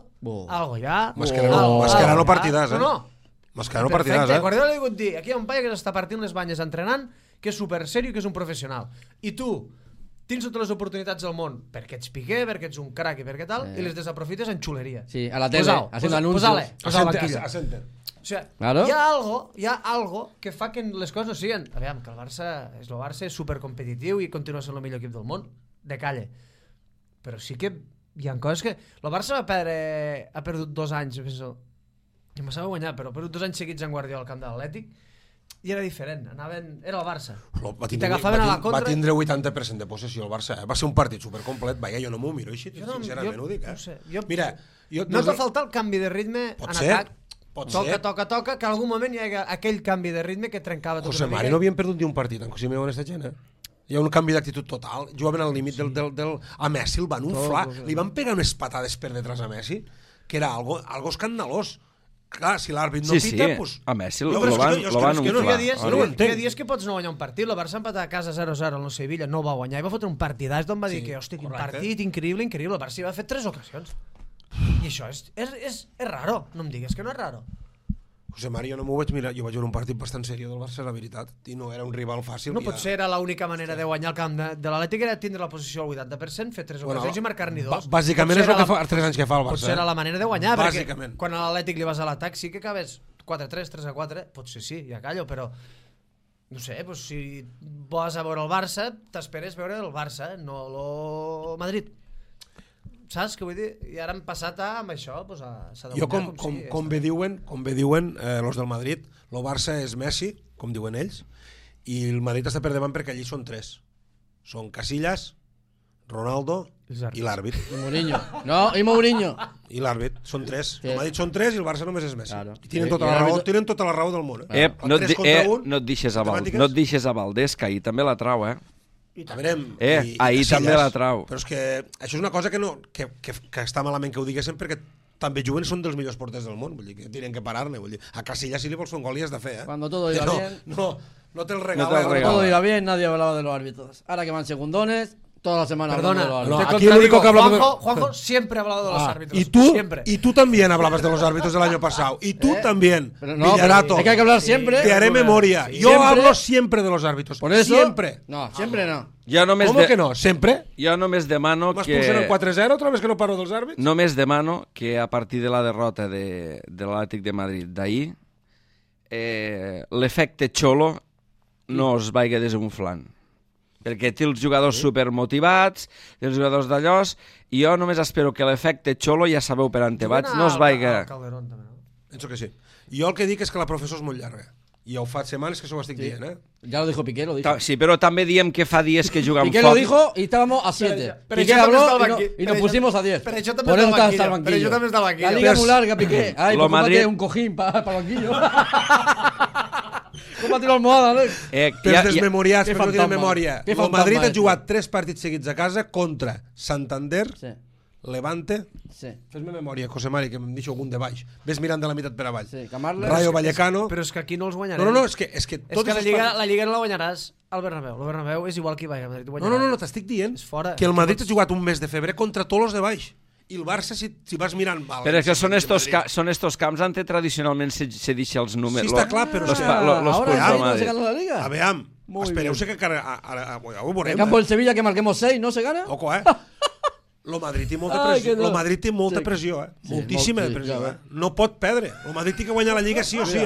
algo ja... Mascherano partidàs, No. Mascherano partidàs, Guardiola li ha dit dir, aquí hi ha un paio que s'està partint les banyes entrenant, que és super serio i que és un professional. I tu tens totes les oportunitats del món perquè ets Piqué, perquè ets un crac i perquè tal, i les desaprofites en xuleria. Sí, a la tele, haciendo anuncios. Posa al banquillo. O sea, Claro. hi ha algo que fa que les coses no siguen... Aviam, que el Barça és supercompetitiu i continua sent el millor equip del món, de calle. Però sí que hi ha coses que... El Barça ha perdut 2 anys, penso, i m'ha guanyar, però ha perdut 2 anys seguits en Guardiola al camp de l'Atlètic, i era diferent, era el Barça. I t'agafaven a la contra... Va tindre 80% de possessió el Barça, Va ser un partit supercomplet, jo no m'ho miro així, sincerament ho dic, No sé, Mira, no t'ha faltat el canvi de ritme en atac. Toca, que en algun moment hi ha aquell canvi de ritme que trencava tot José Mari no havien perdut ni un partit en Simeone esta gent, Hi ha un canvi d'actitud total, jugaven al límit del... A Messi el van unflar, li van pegar unes patades per detrás a Messi, que era algo escandalós. Clar, si l'àrbit no pita, pues... a Messi No, lo però és que van jo no unflar. Hi ha dies que pots no guanyar un partit. El Barça empatar a casa 0-0 al Sevilla, no va guanyar i va fotre un partidàs d'on va dir que, hòstia, quin partit increïble. El Barça hi va fer 3 ocasions. I això és raro. No em digues que no és raro. José Mari, jo no m'ho vaig mirar, jo vaig veure un partit bastant seriós del Barça, la veritat, i no era un rival fàcil. No pot ser, era l'única manera de guanyar el camp de l'Atlètic, era tindre la posició al 80%, fer 3 ocasions i marcar-n'hi 2. Bàsicament és el que fa 3 anys que fa el Barça. Potser era la manera de guanyar, perquè Bàsicament. quan a l'Atlètic li vas a l'atac sí que acabes 4-3, 3-4, potser sí, ja callo, però no sé, doncs si vas a veure el Barça, t'esperes veure el Barça, no el Madrid. Saps què vull dir? I ara hem passat amb això, doncs s'ha de guanyar com bé diuen los del Madrid, el Barça és Messi, com diuen ells, i el Madrid està per davant perquè allí són 3. Són Casillas, Ronaldo i l'àrbit. Y Mourinho. No, y Mourinho. I l'àrbit, són 3. Sí. El Madrid són 3 i el Barça només és Messi. Claro. I tenen tota la raó del món. No et deixes a Valdés, que ahir també la trau, A veure, ahir també la trau. Però és que això és una cosa que està malament que ho diguéssim perquè també juguen són dels millors porters del món, vull dir que tenen que parar-ne, vull dir. A Casillas si li vols fer un gol li has de fer, Cuando todo iba bien. No te'l regala. Cuando todo iba bien, nadie hablaba de los árbitros. Ahora que van segundones, toda la semana Perdona, hablando de no, los te aquí el único contradigo. que habla- Juanjo siempre ha hablado de los árbitros. Y tú también hablabas de los árbitros del año pasado. Y tú también, Pero no, Villarato. es que hay que hablar siempre. Te haré memoria. Yo Siempre. hablo siempre de los árbitros. Por eso. Siempre. No, siempre no. ¿Cómo que no? ¿Sempre? Jo només demano M'expulsen en 4-0 otra vez que no paro dels àrbits? Només demano que a partir de la derrota de l'Atlètic de Madrid d'ahir, l'efecte Xolo no es vagi desunflant. Perquè té els jugadors supermotivats, té els jugadors d'allòs, i jo només espero que l'efecte Xolo, ja sabeu per on te vaig, no es vagi... Calderón, també, no? Penso que sí. Jo el que dic és que la professor és molt llarga. I ho fa setmanes que s'ho estic dient, Ya lo dijo Piqué, lo dijo. Sí, però també diem que fa dies que juguen Piqué foc. lo dijo y estábamos a 7. Pero Piqué yo también habló estaba y, aquí. y Pero nos yo- pusimos a 10. pero yo también Por eso estaba está al el banquillo. Pero yo también estaba al La banquillo. liga es Pero muy larga, Piqué. Ay, lo pues cómprate Madrid- un cojín para el banquillo. Cómprate una almohada, Alex. Pels desmemoriats, Que perquè no tenen fantasma. memòria. Que El fantasma Madrid ha este. jugat 3 partits seguits a casa contra Santander, Sí, Levante... sí. Fes-me memòria, José Mari, que em deixo algun de baix. Ves mirant de la meitat per avall. Sí, Camarles. Rayo Vallecano... Però és que aquí no els guanyarem. No, és que És tots que els la Lliga no la guanyaràs al Bernabéu. El Bernabéu és igual que hi va a Madrid. No, t'estic dient És fora. que el Madrid ha jugat un mes de febrer contra tots els de baix. I el Barça, si vas mirant... Val, Però és que són estos camps on tradicionalment se deixa els números. Sí, està clar, però los és que- punts Ahora de sí, no se Madrid. gana la liga. A veure, Muy espereu-se que ara ho En veurem. el campo del Sevilla que marquemos 6, ¿no se gana? Ojo, Lo Madrid té molta Ai, pressió, que no. lo Madrid té molta Sí. pressió, Sí, moltíssima molt, sí, pressió, ja No pot perdre. El Madrid té que guanyar la Lliga sí o sí,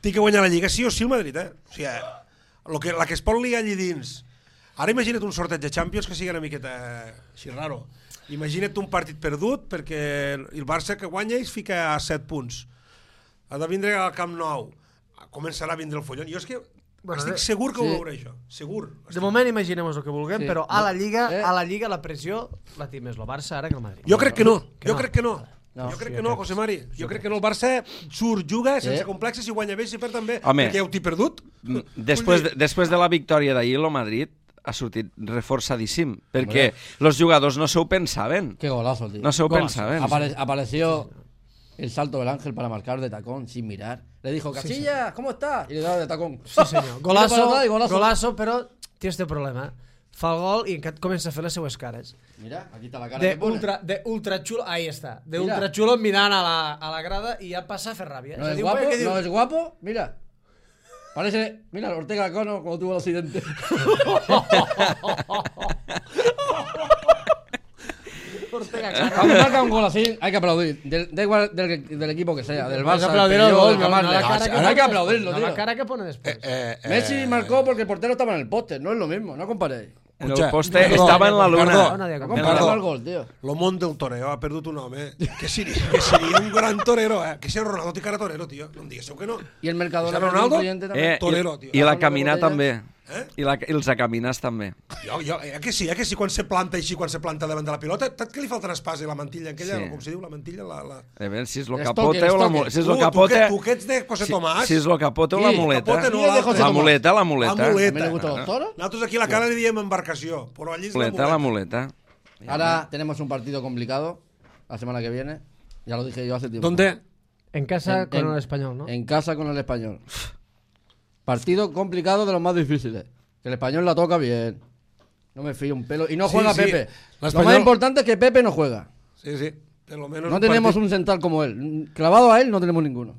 Té que guanyar la Lliga sí o sí el Madrid, O sigui, la que es pot liar allí dins. Ara imagina't un sorteig de Champions que sigui una miqueta així raro. Imagina't un partit perdut perquè el Barça que guanya es fica a 7 punts. Ha de vindre al Camp Nou. Començarà a vindre el follon. Jo és que estic segur que ho Sí. veuré, això. Segur. De moment imaginem el que vulguem, Sí. però a la Lliga la pressió la té més el Barça ara que el Madrid. Jo crec que no. Que Jo no. crec que no. No. Jo crec que no, José Mari. Jo crec que no. El Barça surt, juga, sense Sí. complexes, si guanya bé, si perd també. Home. Perquè ja ho t'he perdut. Després de la victòria d'ahir, el Madrid ha sortit reforçadíssim, perquè els jugadors no s'ho pensaven. Qué golazo, tío. No se lo Golazo. pensaban. Apareció el salto del Ángel para marcar de tacón sin mirar. Le dijo, Casillas, ¿cómo estás? Y le daba de tacón. Sí, senyor. Mira para atrás y Golazo, però té este problema. Fa el gol i encara comença a fer les seues cares. Mira, aquí está la cara que pone. De ultra chulo, ahí està. De Mira. ultra chulo mirant a la grada i ja passa a fer ràbia. No És a es dir, guapo, un paio que diu, no es guapo, mira. Parece, mira, Ortega Cono cuando tuvo el accidente. Ortega Cano. Cuando marca un gol así, hay que aplaudir. Da igual del equipo que sea, del Hay que Barça, del aplaudir el Peugeot, gol, del no Camarles. la cara que Ahora hay que pone aplaudirlo, después. No, tío. la cara que pone después. Messi marcó porque el portero estava en el poste, no es lo mismo, no comparéis. En Escucha, el poste Ricardo, estava en la Ricardo, luna. No, nadie No ha compares Ricardo. el gol, tío. Lo món del toreo ha perdut un home que seria un gran torero, Que si el Ronaldo té cara torero, tio. No em diguéssiu que no. Y el Mercadona ¿Cristiano Ronaldo? un cliente también. Torero, tio. I la Hablando de caminar botellas. també. I els acaminars també. Que sí, quan se planta així, quan se planta davant de la pilota, tot que li falta espasa i la mantilla aquella, Sí. com se diu, la mantilla, la... A veure si és lo El capote estoque, o la el muleta. Si és lo Tu capote... que ets de José Tomàs. Si és lo capote o la Qui? muleta. Capote no, Qui és de José La Tomàs? muleta, la La muleta. muleta. ¿Me le gustan los toros? Nosaltres aquí a la cara li diem embarcació, però allí és La muleta. Ahora tenemos un partido complicado la semana que viene. Ya lo dije yo hace tiempo. ¿Dónde? En casa En- con en- el español, ¿no? En casa con el Español. Partido complicado de los más difíciles. Que el Español la toca bien. No me fío un pelo. Y no Sí, juega sí. Pepe. Lo L'Espanyol- más importante es que Pepe no juega. Sí, per lo menos No tenemos un central como él. Clavado a él no tenemos ninguno.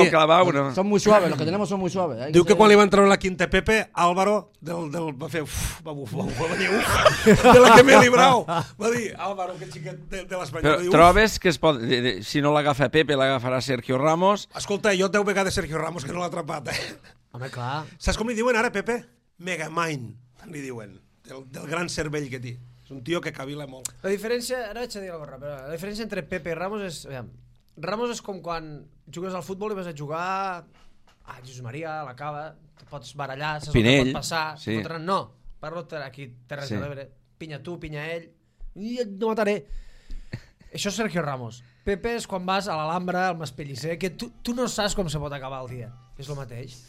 Clavau, no. Son muy suaves, los que tenemos son muy suaves. Hay Diu que ser- quan li va entrar en la quinta Pepe, Álvaro va fer va bufar, va dir de la que m'he librau. Va dir, Álvaro, que xiquet de l'Espanyol. Però Va dir, trobes que es pot... Si no l'agafa Pepe, l'agafarà Sergio Ramos. Escolta, jo 10 vegades Sergio Ramos que no l'ha atrapat, Home, clar. Saps com li diuen ara, Pepe? Megamind, li diuen, del gran cervell que té. És un tio que cavila molt. La diferència, ara vaig a dir alguna cosa, però la diferència entre Pepe i Ramos és... Aviam, Ramos és com quan jugues al futbol i vas a jugar a Jesús Maria, a la Cava, te pots barallar, saps Pinell, el que pot passar. sí. No, parlo aquí, Terres Sí. de l'Ebre. Pinya tu, pinya ell, i et no mataré. Això és Sergio Ramos. Pepe és quan vas a l'Alhambra, al Maspellicer, que tu no saps com se pot acabar el dia. És el mateix.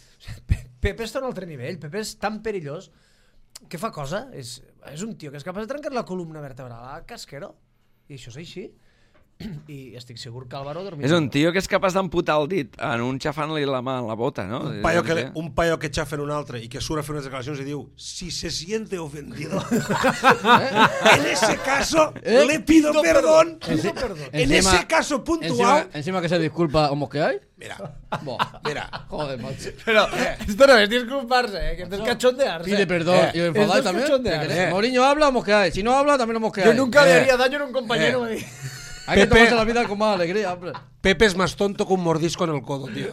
Pepe està a un altre nivell. Pepe és tan perillós que fa cosa. És un tio que és capaç de trencar la columna vertebral a Casquero. I això és així. i estic segur que Álvaro dormirà. És un tio que és capaç d'amputar el dit en un xafant-li la mà en la bota, no? Un paio que xafa en un altre i que surt a fer unes declaracions i diu si se siente ofendido en ese caso le pido perdón. En ese caso puntual. Encima que se disculpa o que hay. Mira, Mira. Joder, macho. Pero esto no es disculparse, que esto es cachondearse. Pide perdón. Y enfadáis esto es también. cachondearse. Mourinho habla o mosqueáis. Si no habla, también lo mosqueáis. Yo nunca le haría daño a un compañero. me dice. Hay que tomarse la vida con más alegría, hombre. Pepe es más tonto que un mordisco en el codo, tío.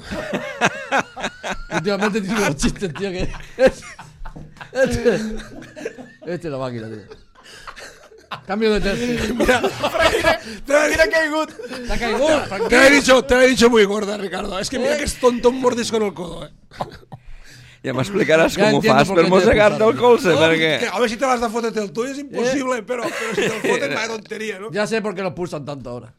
Últimamente tiene unos chistes, tío, que... Este es la máquina, tío. Cambio de tercio. Mira, Mira que hay good. T'ha caigut. te lo he dicho muy gorda, Ricardo. Es que mira que es tonto un mordisco en el codo, Ja m'explicaràs Ja com ho entiendo fas por per qué te mossegar-te el expulsaron. colze, Que perquè... a ver si te vas a fotet el tuyo es imposible, pero si te lo foten vaya tontería, ¿no? Ya sé por qué lo pulsan tanto ahora.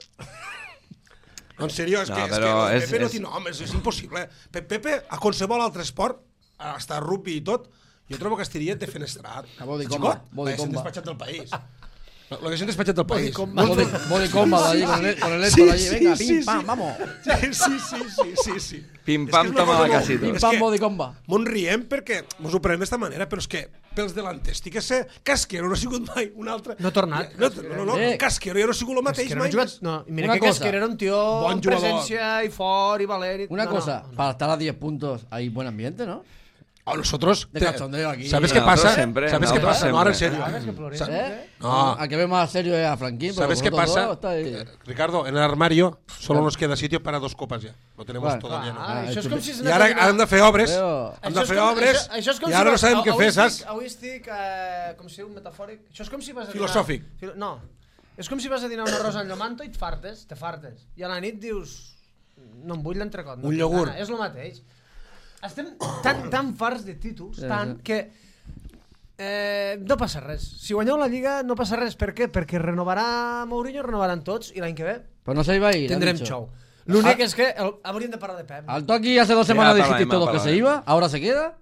No, en serio, és No, que però Pepe no és- tiene homes, és impossible. Pepe, a qualsevol altre esport, hasta rugby i tot, jo trobo que estaria defenestrat. A body combat, Xicot, body l'haguessin combat. despatxat del país. L'haguessin despatxat del país. Body combat allí con el Héctor allí. Venga, pim, pam, vamos. Sí. Pim, És pam, que és una toma cosa la molt- casita. Pim, És pam, que body combat. Mos riem perquè mos ho prenem d'esta manera, però és que pels delanters estic a ser Casquero no ha sigut mai un altre. No ha tornat. No. Casquero ja no ha sigut el mateix Que no mai. ha jugat, no, i mira Una que cosa. Casquero era un tío Bon amb jugador. presencia y fort y valent. y- Una no, cosa, no. para estar a 10 puntos hay buen ambiente, ¿no? A nosotros... De cachondeo aquí. ¿Sabes qué Nosotros pasa? siempre, ¿Sabes qué nosotros pasa? No, ahora en siempre. serio. ¿Sabes que Flores? ¿Eh? No. Al que ve más serio es a Franquín. pero ¿Sabes qué vosotros pasa? dos estáis- Ricardo, en el armario solo nos queda sitio para 2 copas ya. Lo tenemos Bueno, todo lleno. Ah, això és com si I ara han de fer obres, Però- han de fer obres, i ara no sabem què fer, saps? Avui estic, com si un metafòric... Això és com si vas a Filosòfic. No, és com si vas a dinar un arròs amb llomanto i te fartes. I a la nit dius... No em vull l'entrecot. Un iogurt. És el mateix. Estem tan farts de títols, tant que... no passa res. Si guanyeu la Lliga no passa res. Per què? Perquè renovarà Mourinho, renovaran tots i l'any que ve Pues no se iba a ir. tindrem han dicho. xou. L'únic és que hauríem de parlar de Pep. Al Toki hace 2 semanas parlarem, dijisteis todos que se parlarem. iba, ahora se queda.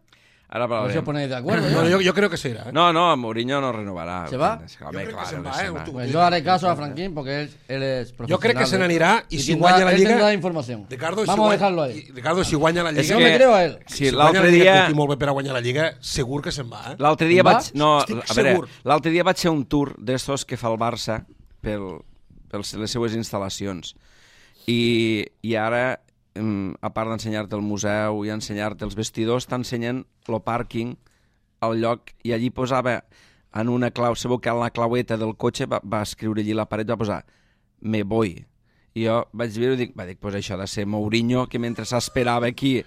Ara A ver si os parlarem. ponéis de acuerdo. Bueno, ¿no? yo creo que se irá. No, Mourinho no renovarà. ¿Se va? Home, Jo crec que claro se'n que va, se eh? va. Tu- Pues yo haré caso a Franquín porque él es profesional. Jo crec que se n'anirà i si tendrá- guanya la él Lliga... tendrá información. Ricardo, Vamos a dejarlo ahí. Ricardo, si guanya la És Yo Lliga... me que- creo a él. Sí, guanya l'altre la Lliga, dia... que estic molt bé per a guanyar la Lliga, segur que se'n va, eh? L'altre dia Se'n va? vaig... No, Estic a veure, segur. l'altre dia vaig fer un tour d'estos que fa el Barça per les seues instal·lacions. I ara, a part d'ensenyar-te el museu i ensenyar-te els vestidors, t'ensenyen el pàrquing, el lloc, i allí posava en una clau, sabeu que en la claueta del cotxe va escriure allí a la paret, va posar me voy. I jo vaig veure i dic, pues això ha de ser Mourinho, que mentre s'esperava aquí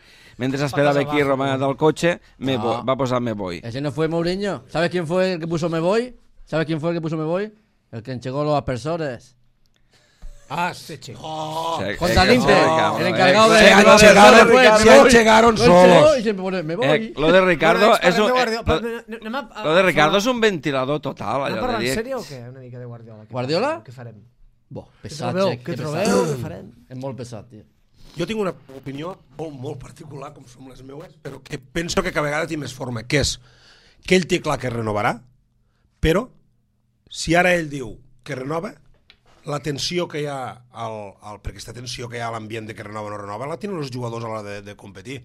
Roma del cotxe, va posar me voy. Ese no fue Mourinho. ¿Sabes quién fue el que puso me voy? ¿Sabes quién fue el que puso me voy? El que enchegó los aspersores. Ah, sí, no. Contra Limpe, el encargado de... Se llegaron solos. Y siempre pone me voy. Lo de Ricardo és un... Lo de Ricardo és un... un ventilador total. Anem Allò parlant de en dir... sèrio o què? Una mica de Guardiola. Guardiola? Què farem? Bo, Què pesat, trobeu? Xec, Què que trobeu? pesat. Què farem? És molt pesat, tio. Jo tinc una opinió molt particular, com són les meues, però que penso que cada vegada té més forma, que és que ell té clar que renovarà, però si ara ell diu que renova, la tensió que hi ha, perquè aquesta tensió que hi ha a l'ambient de que renova o no renova, la tenen els jugadors a l'hora de competir.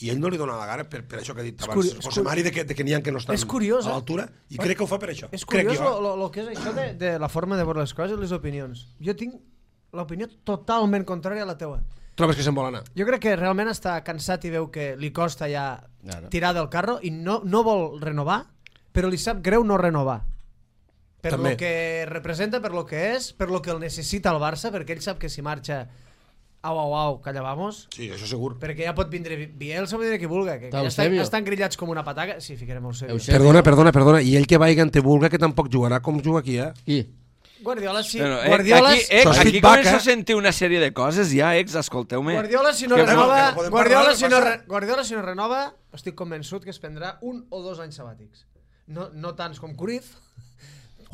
I ell no li dona la gana per això que ha dit abans José Mari, de que n'hi ha que no estan curiós, a l'altura, i crec que ho fa per això. És Crec curiós jo. el que és això de la forma de veure les coses i les opinions. Jo tinc l'opinió totalment contrària a la teua. Trobes que se'n vol anar? Jo crec que realment està cansat i veu que li costa ja Claro. tirar del carro i no vol renovar, però li sap greu no renovar. Per També. lo que representa, per lo que és, per lo que el necessita el Barça, perquè ell sap que si marxa au, calla vamos, Sí, això segur. perquè ja pot vindre Bielsa o vindre qui vulga, que ja Eusebio. estan grillats com una pataca. Sí, ficarem Eusebio. Eusebio. Perdona, i ell que vagi en te vulga que tampoc jugarà com juga aquí, eh? Qui? Guardiola sí. Bueno, Guardiola, aquí feedback, començo eh? a sentir una sèrie de coses ja, escolteu-me. Guardiola si no Que renova, que no podem parlar, Guardiola si no renova, estic convençut que es prendrà 1 o 2 anys sabàtics. No tants com Cruyff.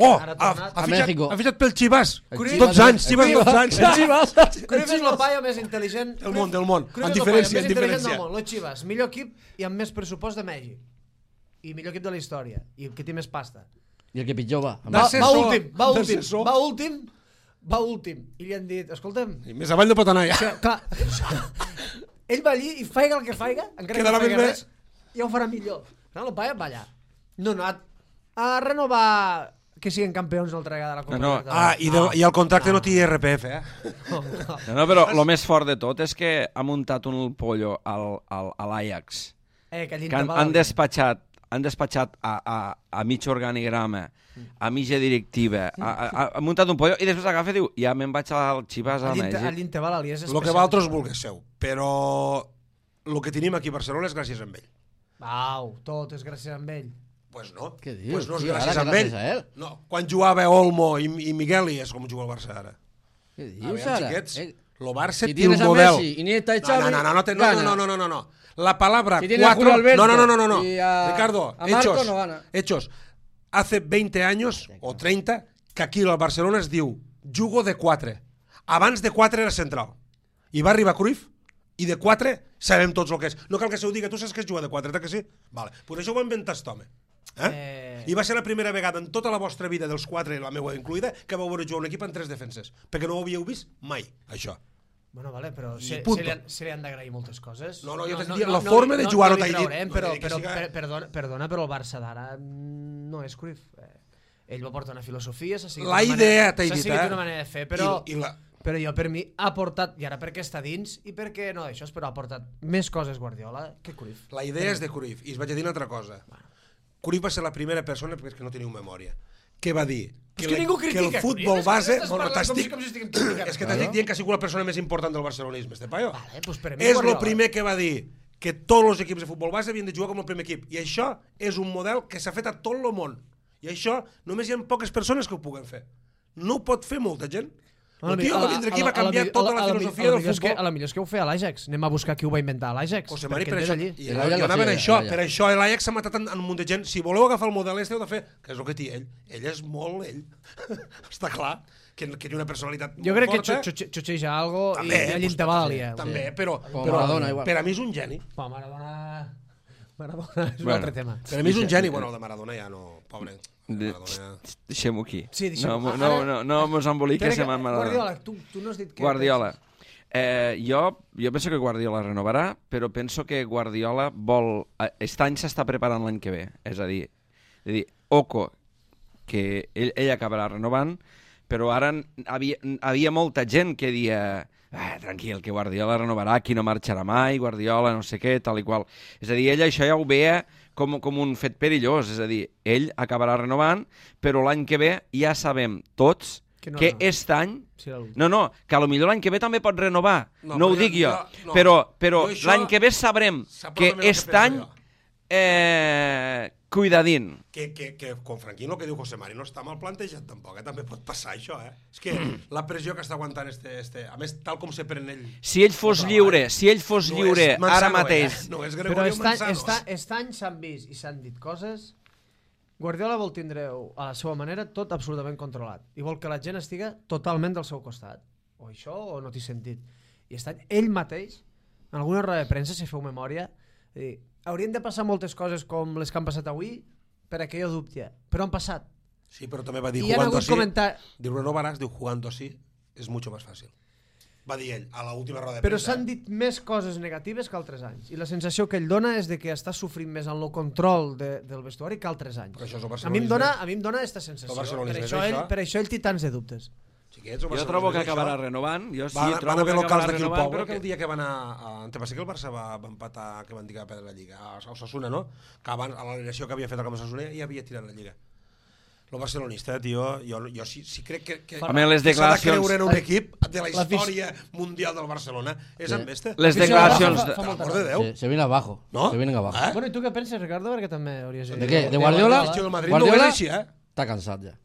Oh, Ara ha tornat. A México. ha fitxat pel Chivas. Cruyff- 12 anys, Chivas 12 anys. Cruyff és el paio més intel·ligent Del món. Cruyff En és el paio diferència, més en intel·ligent diferència. del món. Los Chivas, millor equip i amb més pressupost de Mèxic. I millor equip de la història. I el que té més pasta. I el que pitjor va. Va D'assessor. últim. va últim, i li han dit, escolta'm, I més avall no pot anar ja. que, clar, ell va allí i faiga el que faiga, encara que Quedarà no faiga més bé. res, ja ho farà millor. No, el Paiva va allà. No, a renovar que siguin campions una altra vegada a la Copa. No. Libertadores. I el contracte no té IRPF, No, no. No, però el més fort de tot és que ha muntat un pollo a l'Ajax. Que Que han despatxat a mig organigrama, a mitja directiva, ha muntat un pollo i després agafa i diu, ja me'n vaig al Chivas a Mèxic. A l'Inteval és el que vosaltres vulgueu seu. Però el que tenim aquí a Barcelona és gràcies a ell. Au, tot és gràcies a ell. Pues no. Què dius? Pues no és Sí, gràcies ara a que ell. gràcies a ell. No, quan jugava Olmo i Migueli és com juga el Barça ara. Què A dius veure, ara? xiquets, el Barça Si té un tienes a model. Messi, Iniesta y Xavi, No. La palabra Si tienes a Julio 4... Alberto No. y a- Ricardo, a Marco no gana. hechos. Hace 20 años o 30 que aquí al Barcelona es diu jugo de 4. Abans de 4 era central. I va arribar Cruyff i de 4 sabem tots el que és. No cal que se ho diga, tu saps que és jugar de 4, que sí? Vale. Per això ho va inventar aquest home. I va ser la primera vegada en tota la vostra vida dels 4, la meva incluïda, que vau veure jugar un equip en 3 defenses. Perquè no ho havíeu vist mai, això. Bueno, vale, però I punto. se li han d'agrair moltes coses. No, jo t'he dit, la forma de jugar no t'he dit. Però, No diré que siga- perdona, però el Barça d'ara no és Cruyff. Ell va portar una filosofia, s'ha seguit La una idea, manera- t'he s'ha dit, seguit una manera de fer, però... I Però jo, per mi, ha portat, i ara perquè està dins, i perquè no d'això, però ha portat més coses Guardiola que Cruyff. la idea és de Cruyff, i us vaig a dir una altra cosa. Cruyff va ser la primera persona, perquè no teniu memòria, que va dir És que ningú critica el futbol Cruyff, base... estàs Bueno, parlant t'estic... com si estiguem criticant. És que t'estic dient que ha sigut la persona més important del barcelonisme, este paio. Vale, pues per mi És el Guardiola. primer que va dir que tots els equips de futbol base havien de jugar com el primer equip. I això és un model que s'ha fet a tot el món. I això només hi ha poques persones que ho puguen fer. No ho pot fer molta gent. El tio va vindre aquí i va canviar tota la filosofia del futbol. A la millor és que ho feia l'Ajax. Anem a buscar qui ho va inventar l'Ajax. José Mari, perquè per ell això, és allí. i L'Ajax anava en va ser això, l'Ajax. per això l'Ajax s'ha matat en un munt de gent. Si voleu agafar el model este heu de fer, que és el que té ell. Ell és molt ell. Està clar que té una personalitat Jo molt crec que forta. xutxeja algo També, i ell pues, te va aliar. També, però Com Maradona, igual. per a mi és un geni. Maradona és un Bueno. altre tema. Per a mi és un geni. Bueno, el de Maradona ja no... Pobre. Maradona... Deixem-ho aquí. Sí, deixem-ho. No mos emboliquem en Maradona. Guardiola, tu no has dit què. Guardiola. Jo penso que Guardiola renovarà, però penso que Guardiola vol... Aquest any s'està preparant l'any que ve. És a dir, Oco, que ell acabarà renovant, però ara havia molta gent que dia tranquil, que Guardiola renovarà, aquí no marxarà mai, Guardiola no sé què, tal i qual. És a dir, ell això ja ho veia com un fet perillós, és a dir, ell acabarà renovant, però l'any que ve ja sabem tots que aquest any... No, que a lo millor l'any que ve també pot renovar, no ho dic jo, però l'any que ve sabrem que aquest any cuidadín. Que con Franquín el que diu José Mari no està mal plantejat tampoc, també pot passar això, És que la pressió que està aguantant a més, tal com se pren ell... Si ell fos lliure, ara mateix... No és Però Gregorio Manzano. aquest any s'han vist i s'han dit coses. Guardiola vol tindre a la seva manera tot absolutament controlat i vol que la gent estiga totalment del seu costat. O això o no t'hi sentit. I aquest any ell mateix, en alguna roda de premsa, si feu memòria, haurien de passar moltes coses com les que han passat avui per a que jo dubti, però han passat. Sí, però també va dir I han jugando hagut así. comentar... Diu renovaràs, diu jugando así és mucho más fácil. Va dir ell a l'última roda de Però premsa. s'han dit més coses negatives que altres anys. I la sensació que ell dona és de que està sofrint més en el control del vestuari que altres anys. Però això és el A mi em barcelonisme. dona aquesta sensació. El barcelonisme és Per això. això ell té tants de dubtes. Xiquets, el Jo Barcelona trobo que és això. acabarà renovant. Jo sí, Van trobo haver que locals acabarà d'aquí al renovant, poble però que el dia que van a... Te passa que el Barça va empatar, que van dir que va perdre la Lliga, a Osasuna, no? Que abans, a l'alineació que havia fet el camp Osasuna, ja havia tirat la Lliga. Lo barcelonista, tio, jo sí crec que Home, les s'ha de declaracions... creure en un equip de la història mundial del Barcelona és amb este. Les Sí, declaracions... fa Per molta amor de Déu. Se viene abajo. No? Se vienen abajo. Bueno, i tu què penses, Ricardo? Perquè també hauries ¿De qué? ¿De Guardiola? El Madrid no ho és així, Está cansado ya.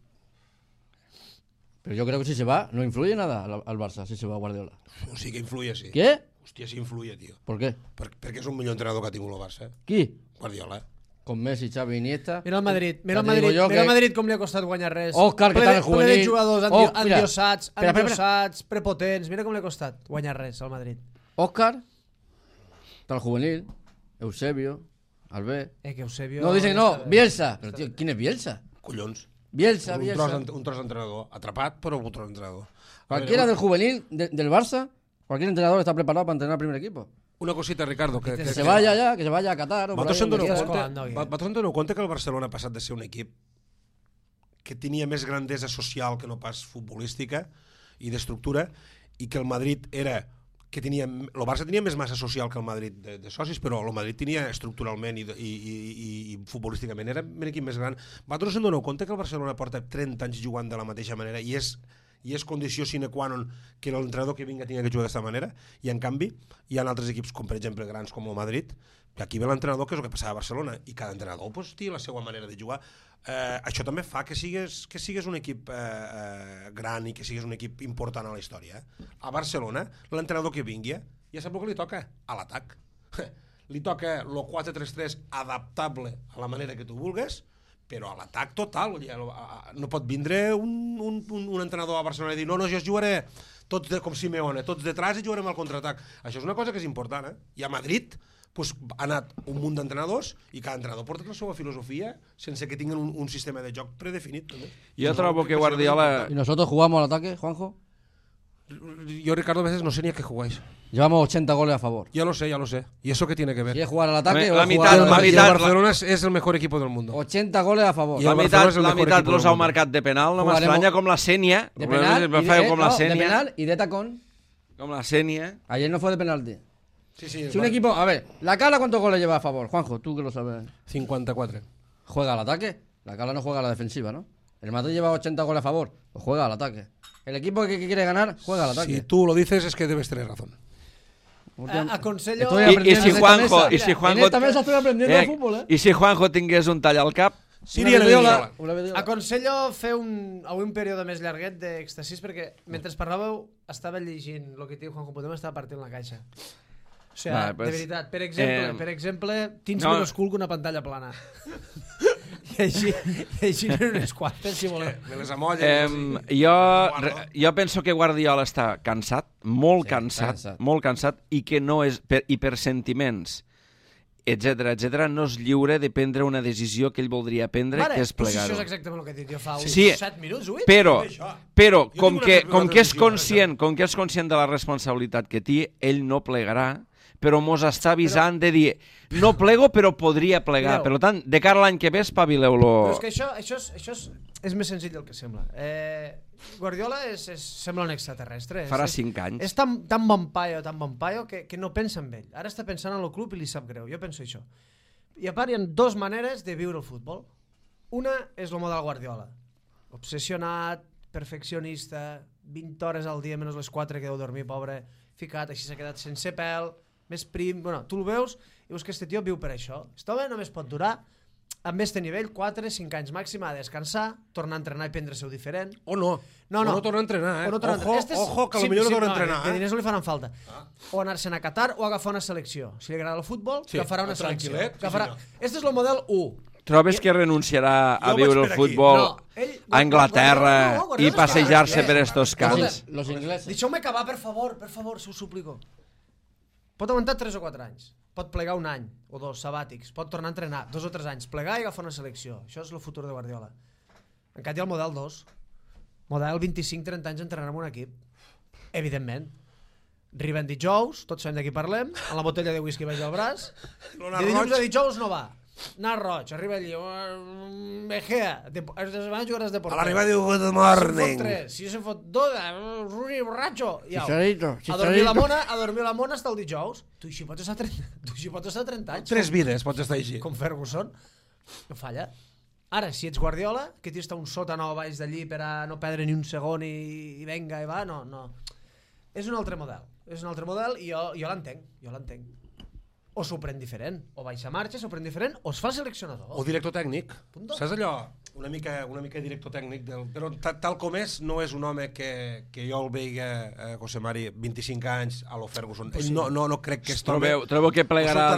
Pero yo creo que si se va, no influye nada al Barça, si se va Guardiola. O sigui que influye, sí. ¿Qué? Hòstia, sí influye, tio. ¿Por qué? Perquè és un millor entrenador que ha tingut el Barça. ¿Qui? Guardiola. Con Messi, Xavi, Iniesta. Mira el Madrid, Ya te digo yo mira el que- Madrid com li ha costat guanyar res. Òscar, que Ple tal de- el juvenil. Ple de jugadors Mira. endiosats, Espera. prepotents. Mira com li ha costat guanyar res al Madrid. Óscar, tal juvenil, Eusebio, Albert. Que Eusebio... No, dicen no, Bielsa. Pero tío, ¿quién es Bielsa? Collons. Bielsa, un Bielsa. tros d'entrenador. Atrapat, però un tros d'entrenador. Cualquiera del juvenil del Barça, cualquier entrenador está preparado para entrenar al primer equipo. Una cosita, Ricardo. Que se vaya ya, que se vaya a Qatar. O por ahí, Vosaltres en donde doneu quiera. compte que el Barcelona ha passat de ser un equip que tenia més grandesa social que no pas futbolística i d'estructura, i que el Madrid era que tenia, el Barça tenia més massa social que el Madrid de socis, però el Madrid tenia estructuralment i futbolísticament era un equip més gran. Vosaltres en doneu compte que el Barcelona porta 30 anys jugant de la mateixa manera i és condició sine qua non que l'entrenador que vinga tingui que jugar d'aquesta manera, i en canvi hi ha altres equips com per exemple grans com el Madrid, que aquí ve l'entrenador, que és el que passava a Barcelona, i cada entrenador pues, té la seva manera de jugar. Això també fa que sigues un equip gran i que sigues un equip important a la història. A Barcelona, l'entrenador que vingui ja sap el que li toca, a l'atac. Li toca el 4-3-3 adaptable a la manera que tu vulgues, però a l'atac total. No pot vindre un entrenador a Barcelona i dir no, jo jugaré tots com Simeone, tots detrás i jugarem al contraatac. Això és una cosa que és important, I a Madrid ha anat un munt d'entrenadors i cada entrenador porta la seva filosofia sense que tinguin un sistema de joc predefinit. També. Jo trobo que Guardiola... ¿Y nosotros jugamos al ataque, Juanjo? Yo, Ricardo, a veces no sé ni a qué jugáis. Llevamos 80 goles a favor. Ya lo sé. ¿Y eso qué tiene que ver? ¿Quieres jugar al ataque o La jugar mitad, al Y el mitad, Barcelona es el mejor equipo del mundo. 80 goles a favor. I La el Barcelona meitat, és el la mejor meitat equipo los del heu mundo. marcat de penal, no Jugaremos m'estranya, com la Sènia. De penal, Me feu com la de Sènia. penal y de tacón. Com la Sènia. Ayer no fue de penalti. Sí, sí. Si un equipo, a ver, la Cala ¿cuántos goles lleva a favor? Juanjo, tú que lo sabes. 54. Juega al ataque. La Cala no juega a la defensiva, ¿no? El Madrid lleva 80 goles a favor, pues juega al ataque. El equipo que quiere ganar, juega al ataque. Si tú lo dices es que debes tener razón. Aconsello... Estoy I aprendiendo si en esta Juanjo... mesa. I si Juanjo... En esta mesa estoy aprendiendo de fútbol, ¿eh? I si Juanjo tingués un tall al cap... Síria Nediola. Aconsello fer avui un període més llarguet d'èxtasis perquè mentre parlàveu estava llegint el que diu Juanjo Podem, estava partint la caixa. O sigui, pues, de veritat, per exemple, tens no. menys cul que una pantalla plana. I així unes quantes, si voleu. Me les amolles. Jo penso que Guardiola està cansat, molt cansat, i que no és, i per sentiments, etc, no és lliure de prendre una decisió que ell voldria prendre, que és plegar-ho. Això és exactament el que he dit jo fa uns 7 minuts, 8? Però com que és conscient de la responsabilitat que té, ell no plegarà, però mos està avisant de dir no plego però podria plegar. Per tant, de cara a l'any que ve espavileu-lo. Però és que això és més senzill del que sembla. Guardiola sembla un extraterrestre. Farà 5 anys. És tan bon paio que no pensa en ell. Ara està pensant en el club i li sap greu. Jo penso això. I a part hi ha 2 maneres de viure el futbol. Una és el model Guardiola. Obsessionat, perfeccionista, 20 hores al dia menys les 4 que deu dormir, pobre, ficat, així s'ha quedat sense pèl, més prim, bueno, tu el veus i veus que este tio viu per això. Aquest home només pot durar amb este nivell 4-5 anys màxim, a descansar, tornar a entrenar i prendre-se-ho diferent. O no. O no tornar a entrenar, Ojo, que potser no torna a entrenar. Que diners no li faran falta. O anar-se'n a Qatar o agafar una selecció. Si li agrada el futbol, agafarà una selecció. Este és el model 1. Trobes que renunciarà a viure el futbol a Anglaterra i passejar-se per estos camps? Los ingleses. Deixeu-me acabar, per favor, si us suplico. Pot aguantar 3 o 4 anys. Pot plegar un any o 2 sabàtics. Pot tornar a entrenar 2 o 3 anys. Plegar i agafar una selecció. Això és el futur de Guardiola. En canvi, hi ha el model 2. Model 25-30 anys entrenant en un equip. Evidentment. Arriben dijous, tots sabem de qui parlem, amb la botella de whisky baix al braç. De dilluns a dijous no va. Anar roig, arriba allí, Egea, van a jugar de porter. A l'arribar diu good morning. Si se fot 2, Rui borratxo. Chicharito. A dormir la mona hasta el dijous. Tu així pots estar 30 anys. 3 vides pots estar així. Com Ferguson. No falla. Ara, si ets Guardiola, que t'hi està un sòtano a baix d'allí per a no perdre ni un segon i venga i va, no. És un altre model. I jo l'entenc. O s'ho pren diferent, o baixa marxa, s'ho pren diferent, o es fa seleccionador. O director tècnic. Saps allò? Una mica director tècnic, però tal com és, no és un home que jo el veiga, José Mari, 25 anys a lo Ferguson. No crec que es trobi... Trobeu que plegarà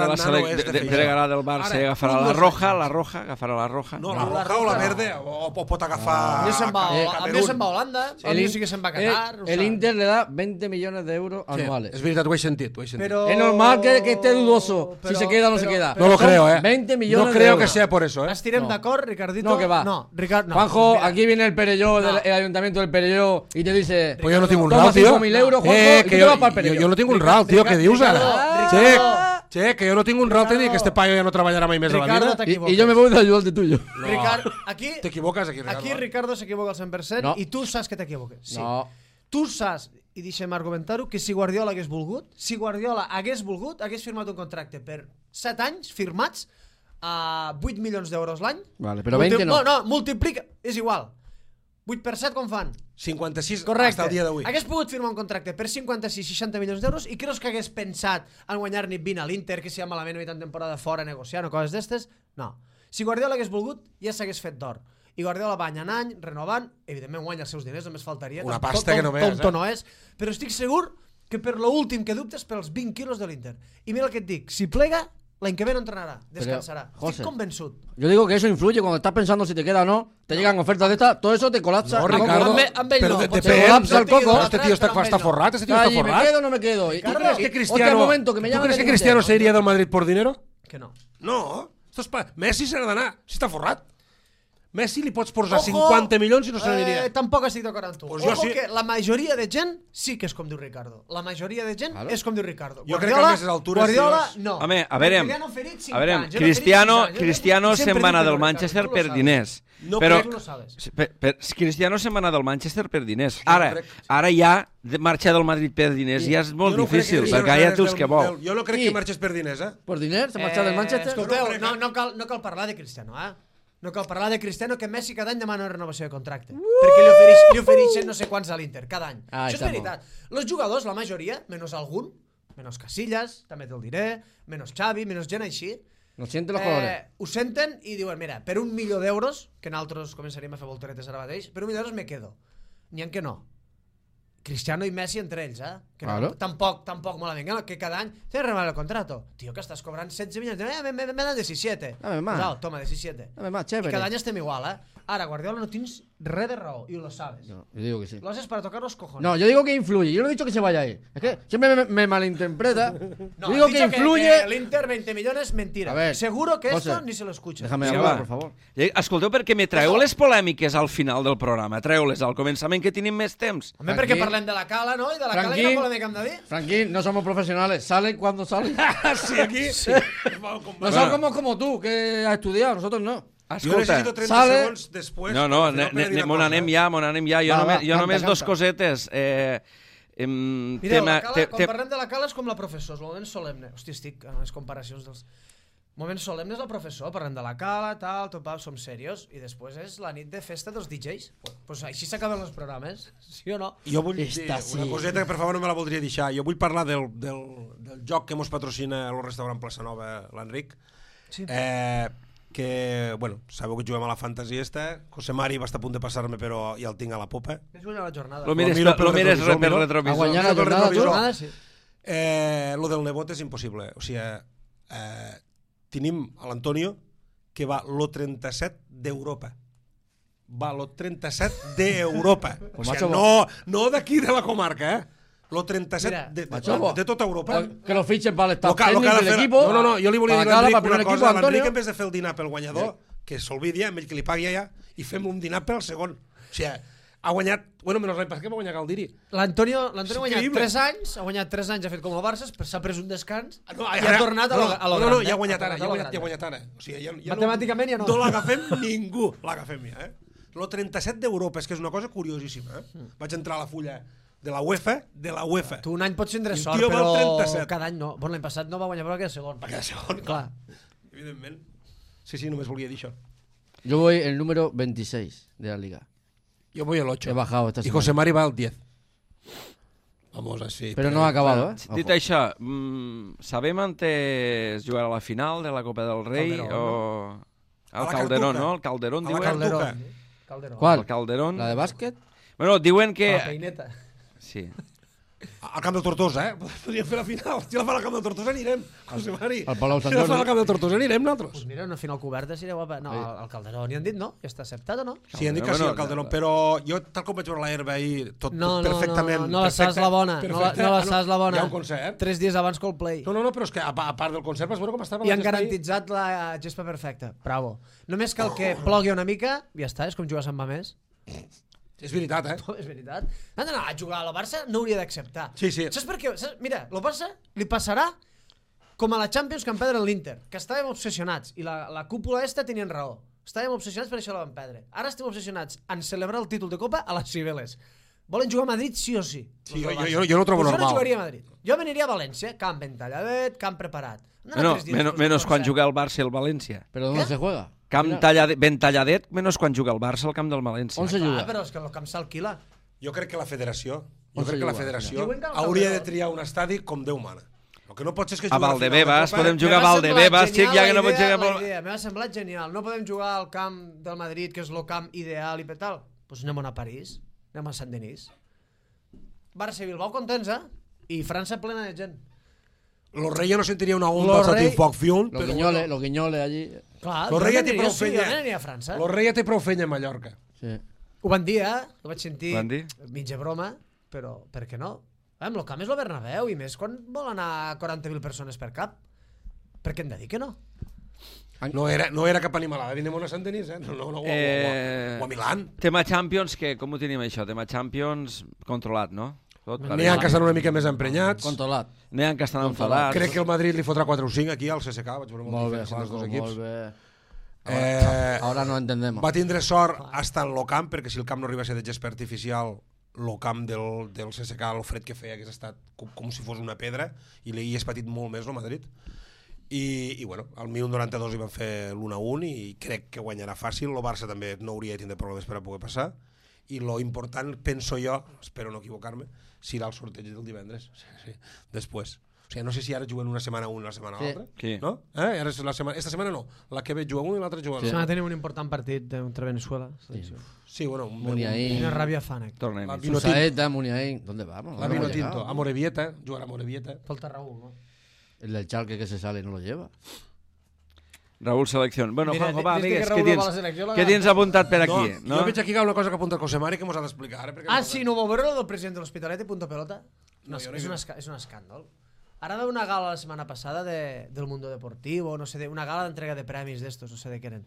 del Barça i agafarà la roja, agafarà la roja. No, la roja o la verde, o pot agafar... A mi se'n va a Holanda, a mi sí que se'n va a Qatar... El Inter le da 20 millones de euros anuales. És veritat, ho he sentit. Es normal que esté dudoso si se queda o no se queda. No lo creo, 20 millones de euros. No creo que sea por eso, Estirem d'acord, Ricardito? No, que va. No, Ricardo, no. Juanjo, Mira, aquí viene el Perelló, No. el ayuntamiento del Perelló, y te dice... Pues yo no tinc un Toma RAL, tio. 5.000 euros, Juanjo, y que tu te jo, vas pel Perelló. jo no tinc un RAL, tio, què dius ara? Ricardo. Che, que jo no tinc un RAL, tio, i que este paio ja no treballarà mai més a la Ricardo, vida. t'equivoques. Y yo me voy de ayudante tuyo. Ricardo, aquí... T'equivoques aquí, Ricardo. Aquí Ricardo s'equivoca al 100% No. i tu saps que t'equivoques. Sí. No. Tu saps, i deixem argumentar-ho, que si Guardiola hagués volgut, hagués firmat un contracte per 7 anys firmats a 8 milions d'euros l'any. Vale, però 20 no. No, multiplica, és igual. 8 per 7 com fan? 56 Correcte. hasta el dia d'avui. Hagués pogut firmar un contracte per 56-60 milions d'euros i creus que hagués pensat en guanyar-ne 20 a l'Inter, que si ha malament mitjan temporada fora negociant o coses d'estes? No. Si Guardiola hagués volgut, ja s'hagués fet d'or. I Guardiola va any en any, renovant, evidentment guanya els seus diners, només faltaria. Una pasta que no veus, Tonto no és, però estic segur que per l'últim que dubtes pels 20 quilos de l'Inter. I mira el que et dic, si plega, l'any que ve no entrenarà, descansarà. José, Estic convençut. Yo digo que eso influye cuando estás pensando si te queda o no, te llegan ofertas de estas, todo eso te colapsa. No, el coco. Ricardo, amb ell però no, de- potser depèn. colapsa el coco. Este tio està forrat, este tio està Ay, ¿me forrat. quedo o no me quedo? ¿Y tú Ricardo, crees ¿Es que hostia, Cristiano, un momento, que me ¿tú llaman crees que del Cristiano Inter? se iría del Madrid por dinero? Que no. No. Messi se n'ha d'anar, si està forrat. Messi li pots posar 50 milions i no se n'aniria. Tampoc estic d'acord amb tu. Pues jo Ojo sí. que la majoria de gent sí que és com diu Ricardo. La majoria de gent Claro. és com diu Ricardo. Jo crec que a aquestes altures, Guardiola, tios- no. Home, a veure, Perquè li han oferit 5 a veure, anys, li han oferit 6 anys. Cristiano Jo sempre se'n va anar dic que del no, Manchester Ricardo, tu per lo diners. No però Tu lo sabes. Cristiano se'n va anar del Manchester per diners. Ara ja marxar del Madrid per diners ja és molt Jo no crec difícil, que perquè ja té els que vol. Jo no crec Sí. que marxés per diners, ¿Por dinero? ¿Se marcha del Manchester? Escolteu, Jo no crec no cal parlar de Cristiano, No cal parlar de Cristiano, que Messi cada any demana una renovació de contracte. Perquè li ofereixen no sé quants a l'Inter, cada any. Ah, Això és està veritat. Els jugadors, la majoria, menys algun, menys Casillas, també te'l diré, menys Xavi, menys gent així, No siente los colores. ho senten i diuen, mira, per 1 milió d'euros, que nosaltres començaríem a fer volteretes ara mateix, per 1 milió d'euros me quedo. N'hi ha que no. Cristiano i Messi entre ells, Que Claro. no, tampoc malament, que cada any te renovar el contrato. Tio, que estàs cobrant 16 milions, me dan 17. Dame más. Pues, toma, 17. Dame más, I chévere. cada any estem igual, Ara, Guardiola, no tens res de raó, i ho sabes. No, yo digo que sí. Lo haces para tocar los cojones. No, yo digo que influye. Yo no he dicho que se vaya ahí. Es que siempre me malinterpreta. No, Yo digo has que dicho influye. que el Inter 20 millones, mentira. A ver, Seguro que José, esto ni se lo escucha. Déjame Sí, hablar, va. por favor. Escolteu, perquè me traeu les polèmiques al final del programa. Treu-les al començament, que tenim més temps. Home, Tranquil. perquè parlem de la cala, no? I de la cala Tranquil. que no volem de dir. Franquín, no somos profesionales. Salen cuando salen. Sí, aquí. Sí. No somos como tú, que has estudiado. Nosotros no. Jo necessito 30 sale- segons després. No, per dir una mon cosa. anem ja. Jo Va, només, va, jo només canta, dos canta. cosetes. Mireu, la cala, quan parlem de la cala és com la professor, és el moment solemne. Hòstia, estic en les comparacions dels... Moment solemne és la professor, parlem de la cala, tal, topau, som serios, i després és la nit de festa dels DJs. Pues així s'acaben els programes, sí o no? Jo vull dir Esta sí. una coseta que per favor no me la voldria deixar. Jo vull parlar del joc que mos patrocina el restaurant Plaça Nova, l'Enric. Sí. Que, bueno, sabeu que juguem a la fantasy esta. José Mari va estar a punt de passar-me, però ja el tinc a la popa. És guanyar la jornada. Lo mires, Lo miro pel lo mires retrovisor, per miro. retrovisor. A guanyar la Miro pel jornada, retrovisor. jornada, sí. Lo del nebot és impossible. O sigui, tenim a l'Antonio que va lo 37 d'Europa. Va lo 37 d'Europa. O Pues sigui, macho, no d'aquí de la comarca, Lo 37 Mira, de tota Europa. Que lo fichen para el staff Lo que ha técnico de del fer... equipo. No, jo li volia dir a para l'Enric para una el cosa. equipo, L'Enric, Antonio. en vez de fer el dinar pel guanyador, que s'olvidi, amb ell que li pagui allà, i fem un dinar pel segon. O sigui, ha guanyat... Bueno, menys res, què va guanyar Galdiri? L'Antonio ha guanyat increïble. 3 anys, ha guanyat 3 anys, ha fet com el Barça, s'ha pres un descans No, i ha tornat a lo gran. No, ja ha guanyat ara, ja ha guanyat ara. O sigui, ja Matemàticament ja no. No l'agafem ningú, l'agafem ja, Lo 37 d'Europa, és que és una cosa curiosíssima, Vaig entrar a la fulla de la UEFA. Tu un any pots tindre El sort, tio val però 37. cada any no. Bon, l'any passat no va guanyar, però va quedar segon. Va quedar segon, Clar. Evidentment. Sí, només volia dir això. Yo voy el número 26 de la liga. Yo voy el 8. He bajado esta Y semana. José Mari va al 10. Vamos así. Pero no ha acabado, ¿eh? Dit Ojo. això, sabem antes jugar a la final de la Copa del Rei Calderón, o... A El la Calderón, Cartuja. no? El Calderón, A la diuen? Cartuja. Calderón. ¿Cuál? El Calderón. ¿La de básquet? Bueno, diuen que... La peineta. Sí. Al camp del Tortosa, podríem fer la final. Si la fa al camp del Tortosa anirem, José Mari. Al Palau Sant Si la fa Jordi. al camp del Tortosa anirem nosaltres. Pues mira, una final coberta seria guapa. No, al Calderó n'hi han dit, no? Ja està acceptat o no? Sí, han dit que sí, Bueno, al Calderón, però jo, tal com vaig veure l'herba ahir, tot perfectament... No la saps la bona. No la saps la bona. Hi ha un concert. 3 dies abans Coldplay. No, però és que a part del concert vas veure com estava I la han gespa ahir. garantitzat la gespa perfecta. Bravo. Només cal que plogui una mica, ja està, és com jugar a Sant Mamés. És veritat, És veritat. Han d'anar a jugar a la Barça, no hauria d'acceptar. Sí, sí. Saps per què? Mira, el Barça li passarà com a la Champions que en perdre l'Inter, que estàvem obsessionats, i la cúpula esta tenien raó. Estàvem obsessionats per això la van perdre. Ara estem obsessionats en celebrar el títol de Copa a les Cibeles. Volen jugar a Madrid sí o sí. Sí, jo no ho trobo Pues normal. Jo no jugaria a Madrid. Jo veniria a València, camp ben talladet, camp preparat. Menos quan juga el Barça i el València. ¿Pero dónde se juega? Camp ben talladet, menys quan juga el Barça al camp del València. On se Ah, juga? però és que el camp s'alquila. Jo crec que la federació, On se juga? Diuen que al hauria de Calderón. triar un estadi com Déu mana. El que no pot ser és que A jugui Valdebebas, Copa. podem jugar a Valdebebas, xic, ja que no pot jugar... M'ha semblat genial. No podem jugar al camp del Madrid, que és el camp ideal i tal. Doncs anem a París, anem a Sant-Denis. Barça i Bilbao contents, I França plena de gent. Los Reyes no sentiria una onda Los al Rey- Satisfacción, Los però guiñoles, los guiñoles allí. Clar, Los jo Reyes té aniria, prou sí, fenya. jo aniria a França. Los Reyes té prou fenya a Mallorca. Sí. Ho van dir, Ho vaig sentir Ho van dir? mitja broma, però per què no? El camp és el Bernabéu, i més quan vol anar 40.000 persones per cap. Per què hem de dir que no? No era cap animalada, anem a Sant-Denis, o a Milán. Tema Champions, com ho tenim això? Tema Champions controlat, no? N'hi ha que estan una mica més emprenyats. Controlat. N'hi ha que estan enfadats. Crec que el Madrid li fotrà 4 o 5 aquí al CSK, vaig veure molt Molt bé, diferència dels dos Juanjo, equips. molt bé. Eh, Ahora no entendemos. Va tindre sort hasta en el camp, perquè si el camp no arriba a ser de gespa artificial, el camp del CSK, el fred que feia, hagués estat com si fos una pedra, i l'hi és patit molt més el Madrid. I bueno, al minut 92 hi van fer l'1-1 i crec que guanyarà fàcil. El Barça també no hauria de tindre problemes per a poder passar. I lo important, penso jo, espero no equivocar-me, serà el sorteig del divendres. Sí. Després. O sigui, no sé si ara juguen una setmana un i la setmana Sí. l'altra. Sí. No? Ara és esta setmana no. La que ve juga un i l'altra juga Sí. l'altra. Setmana tenim un important partit contra Venezuela. Sí, bueno. Muniaín. Quina ràbia fan, Tornem. La Vino Susaeta, Muniain. ¿Dónde vamos? La No Vino hemos Tinto. llegado. A Morevieta. Jugarà a Morevieta. Falta Raúl, no? El del Chalque que se sale no lo lleva. Raúl Selección. Bueno, Mira, Juanjo, va, des de que digues, Raúl què no va a la selecció, la tens apuntat per aquí? No, jo veig aquí una cosa que apunta el José Mari que mos ha d'explicar. Perquè Sí, no vau veure el del president de l'Hospitalet i Punto Pelota? No, jo no és, he és un escàndol. Ara va una gala la setmana passada del Mundo Deportivo, no sé, una gala d'entrega de premis d'estos, no sé de què eren.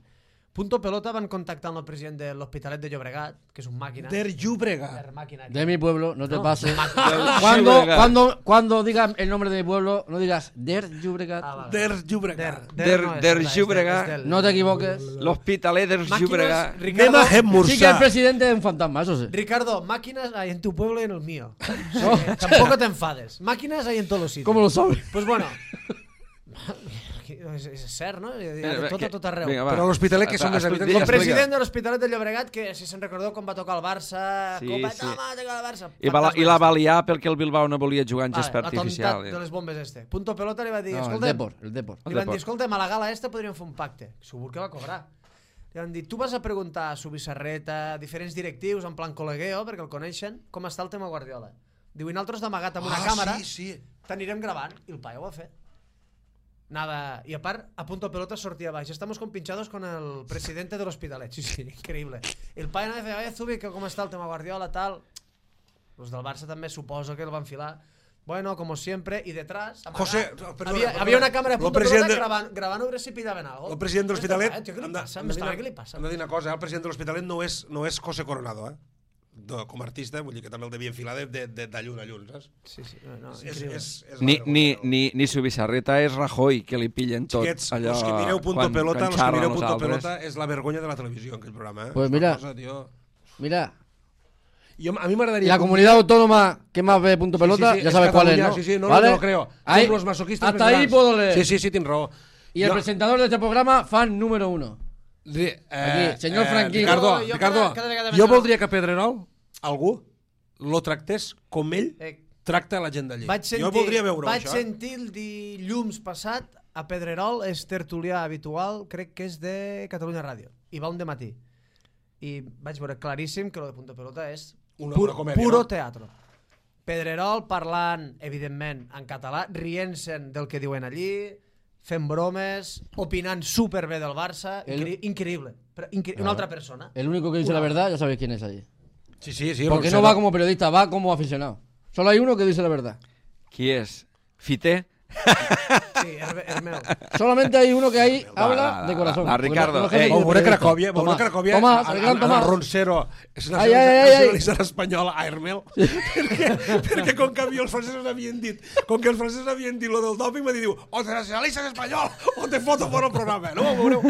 Punto Pelota van contactar amb el president de l'Hospitalet de Llobregat, que és un màquina. Der Llúbrega. Der màquina. De mi pueblo, no te No, pases. Llobregat. Cuando digas el nombre de mi pueblo, no digas Der Llubregat. vale. Der Llúbrega. Der Llobregat. No te equivoques. L'Hospitalet del Llobregat. Ricardo, Sí que el presidente es un fantasma, eso sí. Ricardo, máquinas hay en tu pueblo y en el mío. Tampoco te enfades. Máquinas hay en todos los sitios. ¿Cómo lo sabes? Pues bueno. És cert, no? De tot arreu. Vinga, va. Però a l'Hospitalet, que són més habitants? El president de l'Hospitalet de Llobregat, que si se'n recordeu quan va tocar el Barça, Sí, Copa, sí. toma, toca el Barça. I la va liar perquè el Bilbao no volia jugar en Vale, gespa la artificial. tontat de les bombes este. Punto Pelota li va dir, No, el escolta, Depor, el Depor. li van Depor. dir, escolta, a la gala esta podríem fer un pacte. Segur que va cobrar. Li van dir, tu vas a preguntar a Subissarreta, a diferents directius, en plan col·legueo, perquè el coneixen, com està el tema Guardiola. Diu, i nosaltres d'amagat amb una càmera Sí. t'anirem gravant. I el paio ho va fer. Nada. Y aparte, a Punto Pelota sortía abajo. Estamos compinchados con el presidente del Hospitalet. Sí, increíble. El paio anava a fer, Zubi, que com està el tema Guardiola, tal. Los del Barça també suposo que el van filar. Bueno, como siempre, y detrás... José, perdona, había una cámara de Punto presidente- Pelota grabant a veure si pillaven algo. El president de l'Hospitalet... Què li hem de- passa? hem de dir Què li passa? Hem de dir una cosa, el president de l'Hospitalet no és José Coronado, com a artista, vull dir que també el devia enfilar de llun a llun, saps? Sí, no, És increïble. Ni Subissarreta és Rajoy, que li pillen tot Xiquets, allò... els que mireu Punto quan Pelota, els que xarren mireu Punto nosaltres. Pelota és la vergonya de la televisió en aquell programa, Pues És mira. una cosa, tio. Mira, A mi m'agradaria... la comunidad autónoma que más ve Punto Pelota, Sí, ya es sabes cuál es, Cataluña, ¿no? Sí, sí, no, ¿Vale? no lo creo. Ahí- Som los masoquistas hasta més ahí grans. puedo leer. Sí, tens raó. Y el presentador de este programa, fan número 1. Aquí, senyor Franquí. Ricardo, Jo Ricardo, cada vegada jo més- voldria que Pedrerol, algú, lo tractés com ell tracta la gent d'allí. Jo voldria veure vaig això. sentir el dilluns passat a Pedrerol, és tertulià habitual, crec que és de Catalunya Ràdio, i va un dematí. I vaig veure claríssim que lo de Punto Pelota és Una puro comèdia, puro no? teatro. Pedrerol parlant, evidentment, en català, rient-se'n del que diuen allí, fent bromes, opinant superbé del Barça, increïble. Una altra persona. El único que dice la verdad, ya sabéis quién es allí. Sí. Porque no va como periodista, va como aficionado. Solo hay uno que dice la verdad. Qui és? Fité? Sí, és meu. Solamente hay uno que ahí habla de corazón. va, Ricardo, Porque no es jefe ei. de Veuré periodista. Cracòvia, Tomàs, el gran el Tomàs. Roncero és Ai, ai, ai, ai. nacionalitzat espanyol, Aermel, perquè com que a mi els francesos havien dit, lo del doping, m'ha dit, o te nacionalitzes espanyol o te foto fora el programa, no? Veureu.